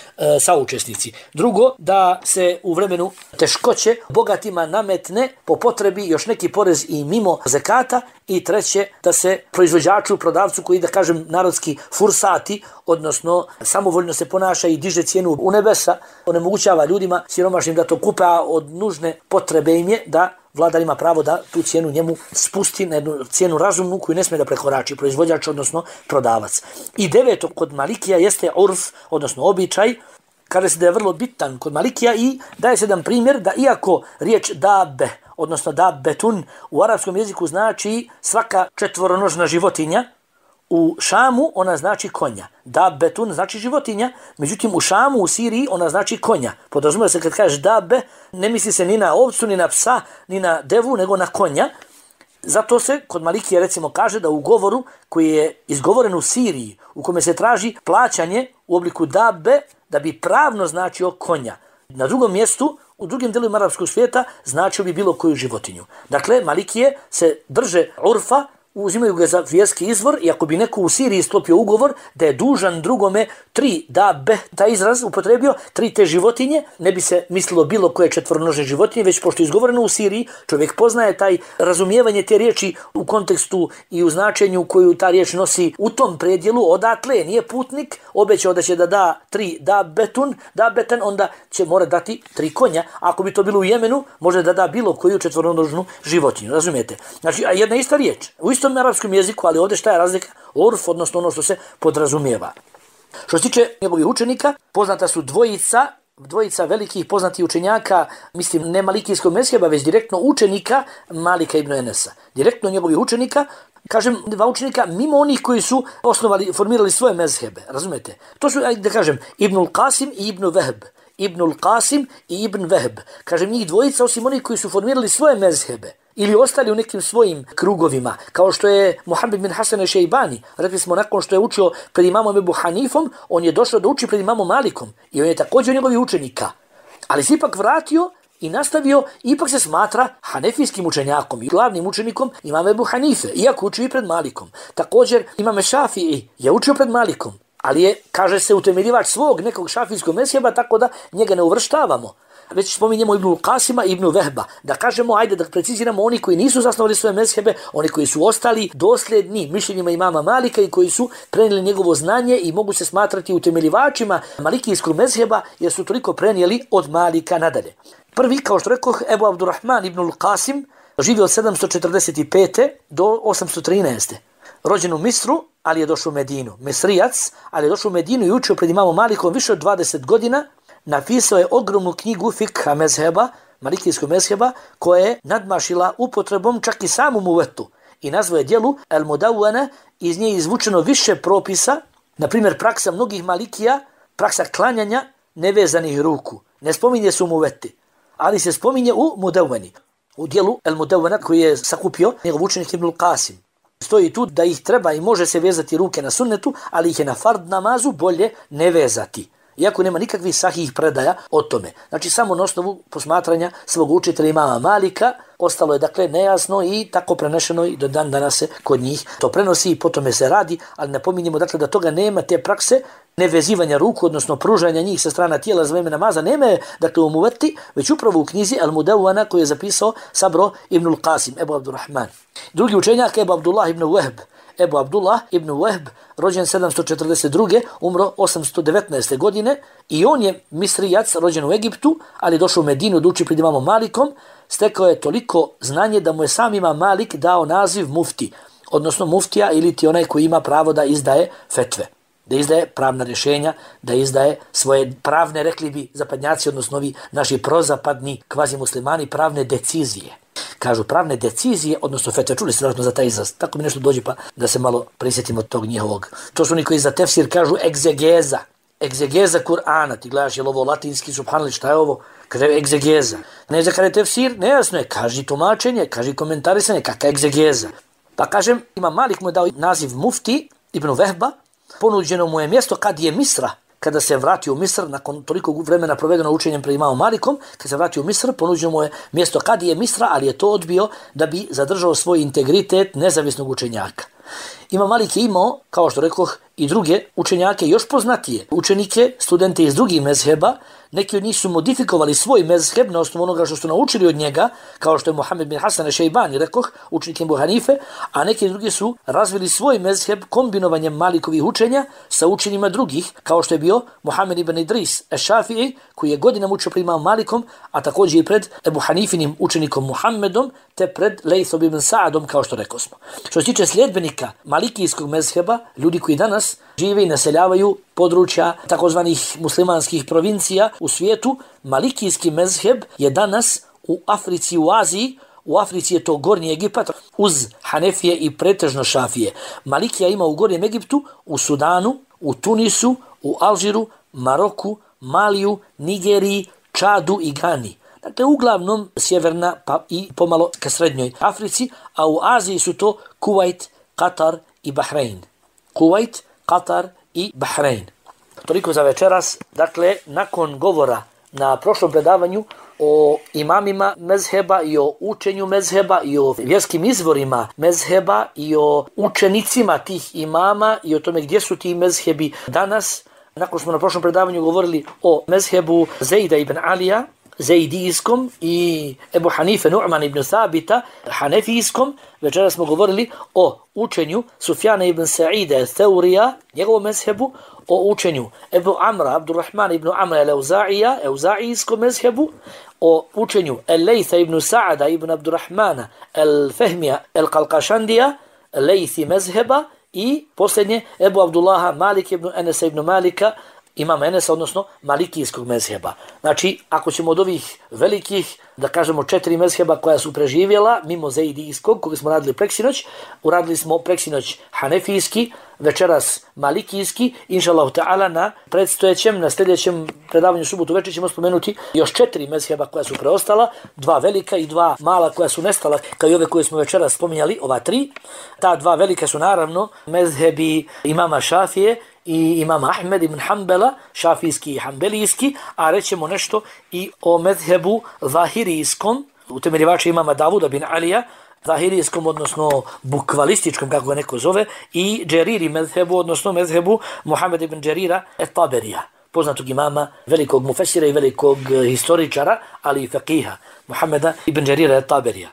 saučesnici. Drugo, da se u vremenu teškoće bogatima nametne po potrebi još neki porez i mimo zekata. I treće, da se proizvođaču, prodavcu koji, da kažem, narodski fursati, odnosno samovoljno se ponaša i diže cijenu u nebesa, onemogućava ljudima siromašnim da to kupe, a od nužne potrebe im je da vladar ima pravo da tu cijenu njemu spusti na jednu cijenu razumnu koju ne smije da prekorači proizvođač, odnosno prodavac. I deveto kod Malikija jeste urf, odnosno običaj, kaže se da je vrlo bitan kod Malikija i daje se jedan primjer da iako riječ dabe, odnosno dabbetun u arapskom jeziku znači svaka četvoronožna životinja, u Šamu ona znači konja. Dabbetun znači životinja, međutim u Šamu, u Siriji ona znači konja. Podrazumijeva se kad kažeš dabbe, ne misli se ni na ovcu, ni na psa, ni na devu, nego na konja. Zato se kod Malikija recimo kaže da u govoru koji je izgovoren u Siriji, u kome se traži plaćanje u obliku dabbe, da bi pravno značio konja. Na drugom mjestu, u drugim dijelovima arapskog svijeta, značio bi bilo koju životinju. Dakle, Malikije se drže urfa, uzimaju ga za vjerski izvor i ako bi neko u Siriji sklopio ugovor da je dužan drugome 3 dabe, taj izraz upotrebio, 3 te životinje, ne bi se mislilo bilo koje četvoronožne životinje, već pošto je izgovoreno u Siriji, čovjek poznaje taj razumijevanje te riječi u kontekstu i u značenju koju ta riječ nosi u tom predjelu, odatle nije putnik, obećao da će da da 3 dabetan, onda će mora dati 3 konja. Ako bi to bilo u Jemenu, može da da bilo koju četvoronožnu životinju, razumijete? Znači, a jedna ista riječ, u istom arapskom jeziku, ali ovdje šta je razlika? Urf, odnosno ono što se podrazumijeva. Što se tiče njegovih učenika, poznata su dvojica velikih poznatih učenjaka, mislim ne malikijskog mezheba, već direktno učenika Malika ibn Enesa. Direktno njegovih učenika, kažem 2 učenika mimo onih koji su formirali svoje mezhebe, razumete? To su, da kažem, Ibnul Qasim i Ibn Vehb. Ibnul Qasim i Ibn Vehb. Kažem njih dvojica, osim onih koji su formirali svoje mezhebe ili ostali u nekim svojim krugovima, kao što je Muhammed bin Hasan al-Šejbani. Rekli smo, nakon što je učio pred imamom Ebu Hanifom, on je došao da uči pred imamom Malikom i on je također njegovi učenika. Ali se ipak vratio i nastavio, ipak se smatra hanefijskim učenjakom i glavnim učenikom imama Ebu Hanife, iako učio i pred Malikom. Također imam Šafii je učio pred Malikom, ali je, kaže se, utemeljivač svog nekog šafijskog mezheba, tako da njega ne uvrštavamo. Već spominjemo Ibnul Qasima i Ibn Vehba. Da kažemo, ajde da preciziramo oni koji nisu zasnovali svoje mezhebe, oni koji su ostali dosljedni mišljenjima imama Malika i koji su prenijeli njegovo znanje i mogu se smatrati utemeljivačima malikijskog mezheba jer su toliko prenijeli od Malika nadalje. Prvi, kao što rekoh, Ebu Abdurrahman Ibnul Qasim, živio od 745. do 813. Rođen u Misru, ali je došao u Medinu. Misrijac, ali je došao u Medinu i učio pred imamom Malikom više od 20 godina. Napisao je ogromnu knjigu fikha mezheba, malikijskog mezheba, koja je nadmašila upotrebom čak i samu muvetu. I nazvao je djelu El Mudawwana, iz nje je izvučeno više propisa, na primjer praksa mnogih malikija, praksa klanjanja nevezanih ruku. Ne spominje se u muveti, ali se spominje u Mudawwani. U djelu El Mudawwana koji je sakupio njegov učenik Ibnul Qasim. Stoji tu da ih treba i može se vezati ruke na sunnetu, ali ih je na fard namazu bolje ne vezati. Iako nema nikakvih sahih predaja o tome. Znači samo na osnovu posmatranja svog učitelja imama Malika, ostalo je dakle nejasno i tako prenešeno i do dan danas se kod njih to prenosi i potom se radi, ali napominjemo dakle da toga nema, te prakse nevezivanja ruku, odnosno pružanja njih sa strana tijela za vreme namaza, nema je dakle u muveti, već upravo u knjizi Al Mudawwana koju je zapisao Sabro Ibnul Qasim, Ebu Abdurrahman. Drugi učenjak Ebu Abdullah ibn Wahb. Ebu Abdullah ibn Wahb, rođen 742. umro 819. godine i on je Misrijac, rođen u Egiptu, ali došao u Medinu da uči pred imamom Malikom, stekao je toliko znanje da mu je sam imam Malik dao naziv mufti, odnosno muftija ili ti onaj koji ima pravo da izdaje fetve, da izdaje pravna rješenja, da izdaje svoje pravne, rekli bi zapadnjaci, odnosno ovi naši prozapadni kvazi muslimani, pravne decizije. Kažu pravne decizije, odnosno fetve, čuli ste vjerojatno za taj izraz, tako mi nešto dođe pa da se malo prisjetimo tog njihovog. To su oni koji za tefsir kažu egzegeza Kur'ana, ti gledaš je li ovo latinski, subhanallah, šta je ovo? Kaže egzegeza. Ne za kada je tefsir, nejasno je, kaži tumačenje, kaži komentarisanje, kakva egzegeza. Pa kažem, Imam Malik mu je dao naziv mufti Ibn Vehba, ponuđeno mu je mjesto kad je Misra, kada se vratio u Misr, nakon toliko vremena provedeno učenjem pred imamom Malikom, kada se vratio u Misr, ponuđeno mu je mjesto kadije Misra, ali je to odbio da bi zadržao svoj integritet nezavisnog učenjaka. Imam Malik je imao, kao što rekoh, i druge učenjake još poznatije, učenike, studente iz drugih mezheba. Neki od njih su modifikovali svoj mezheb na osnovu onoga što su naučili od njega, kao što je Muhammed bin Hasan ešejbani, rekoh, učenik Ebu Hanife, a neki drugi su razvili svoj mezheb kombinovanjem Malikovih učenja sa učenjima drugih, kao što je bio Muhammed ibn Idris eš-Šafii, koji je godinama učio pred imamom Malikom, a također i pred Ebu Hanifinim učenikom Muhammedom, te pred Lejthom ibn Sa'adom, kao što rekao smo. Što se tiče sljedbenika malikijskog mezheba, ljudi koji danas žive i naseljavaju područja takozvanih muslimanskih provincija u svijetu, malikijski mezheb je danas u Africi, u Aziji. U Africi je to Gornji Egipat uz Hanefije i pretežno Šafije. Malikija ima u Gornjem Egiptu, u Sudanu, u Tunisu, u Alžiru, Maroku, Maliju, Nigeriji, Čadu i Gani. Dakle, uglavnom sjeverna pa i pomalo ka srednjoj Africi, a u Aziji su to Kuvajt, Katar i Bahrein. Kuvajt, Katar i Bahrein. Toliko za večeras. Dakle, nakon govora na prošlom predavanju o imamima mezheba i o učenju mezheba i o vjerskim izvorima mezheba i o učenicima tih imama i o tome gdje su ti mezhebi danas, nakon smo na prošlom predavanju govorili o mezhebu Zejda ibn Alija, Zejdijskom, i Ebu Hanife Nu'man ibn Thabita, Hanefijskom. Večera smo govorili o učenju Sufjana ibn Sa'ida Thaurija, njegovom mezhebu, o učenju Ebu Amra, Abdurrahman ibn Amra al-Euza'ija, Euza'ijskom mezhebu, o učenju Lejtha ibn Sa'ada ibn Abdurrahmana al-Fehmija al-Qalqašandija, Lejthi mezheba, i posljednje Ebu Abdullaha Malik ibn Enesa ibn Malika, imama Enesa, odnosno malikijskog mezheba. Znači, ako ćemo od ovih velikih, da kažemo 4 mezheba koja su preživjela, mimo Zejdijskog, koga smo radili preksinoć, uradili smo preksinoć Hanefijski, večeras malikijski, inšallahu ta'ala na predstojećem, na sljedećem predavanju subotu večer ćemo spomenuti još 4 mezheba koja su preostala, 2 velika i 2 mala koja su nestala, kao i ove koje smo večeras spominjali, ova 3. Ta 2 velika su naravno mezhebi imama Šafije i imama Ahmed ibn Hanbala, šafijski i hanbelijski, a rećemo nešto i o mezhebu zahirijskom, utemeljivača imama Davuda bin Alija, zahirijskom, odnosno bukvalističkom, kako ga neko zove, i džeriri mezhebu, odnosno mezhebu Muhammed ibn Džerira et-Taberija, poznatog imama, velikog mufesira i velikog historičara, ali i faqiha, Muhammeda ibn Džerira et-Taberija.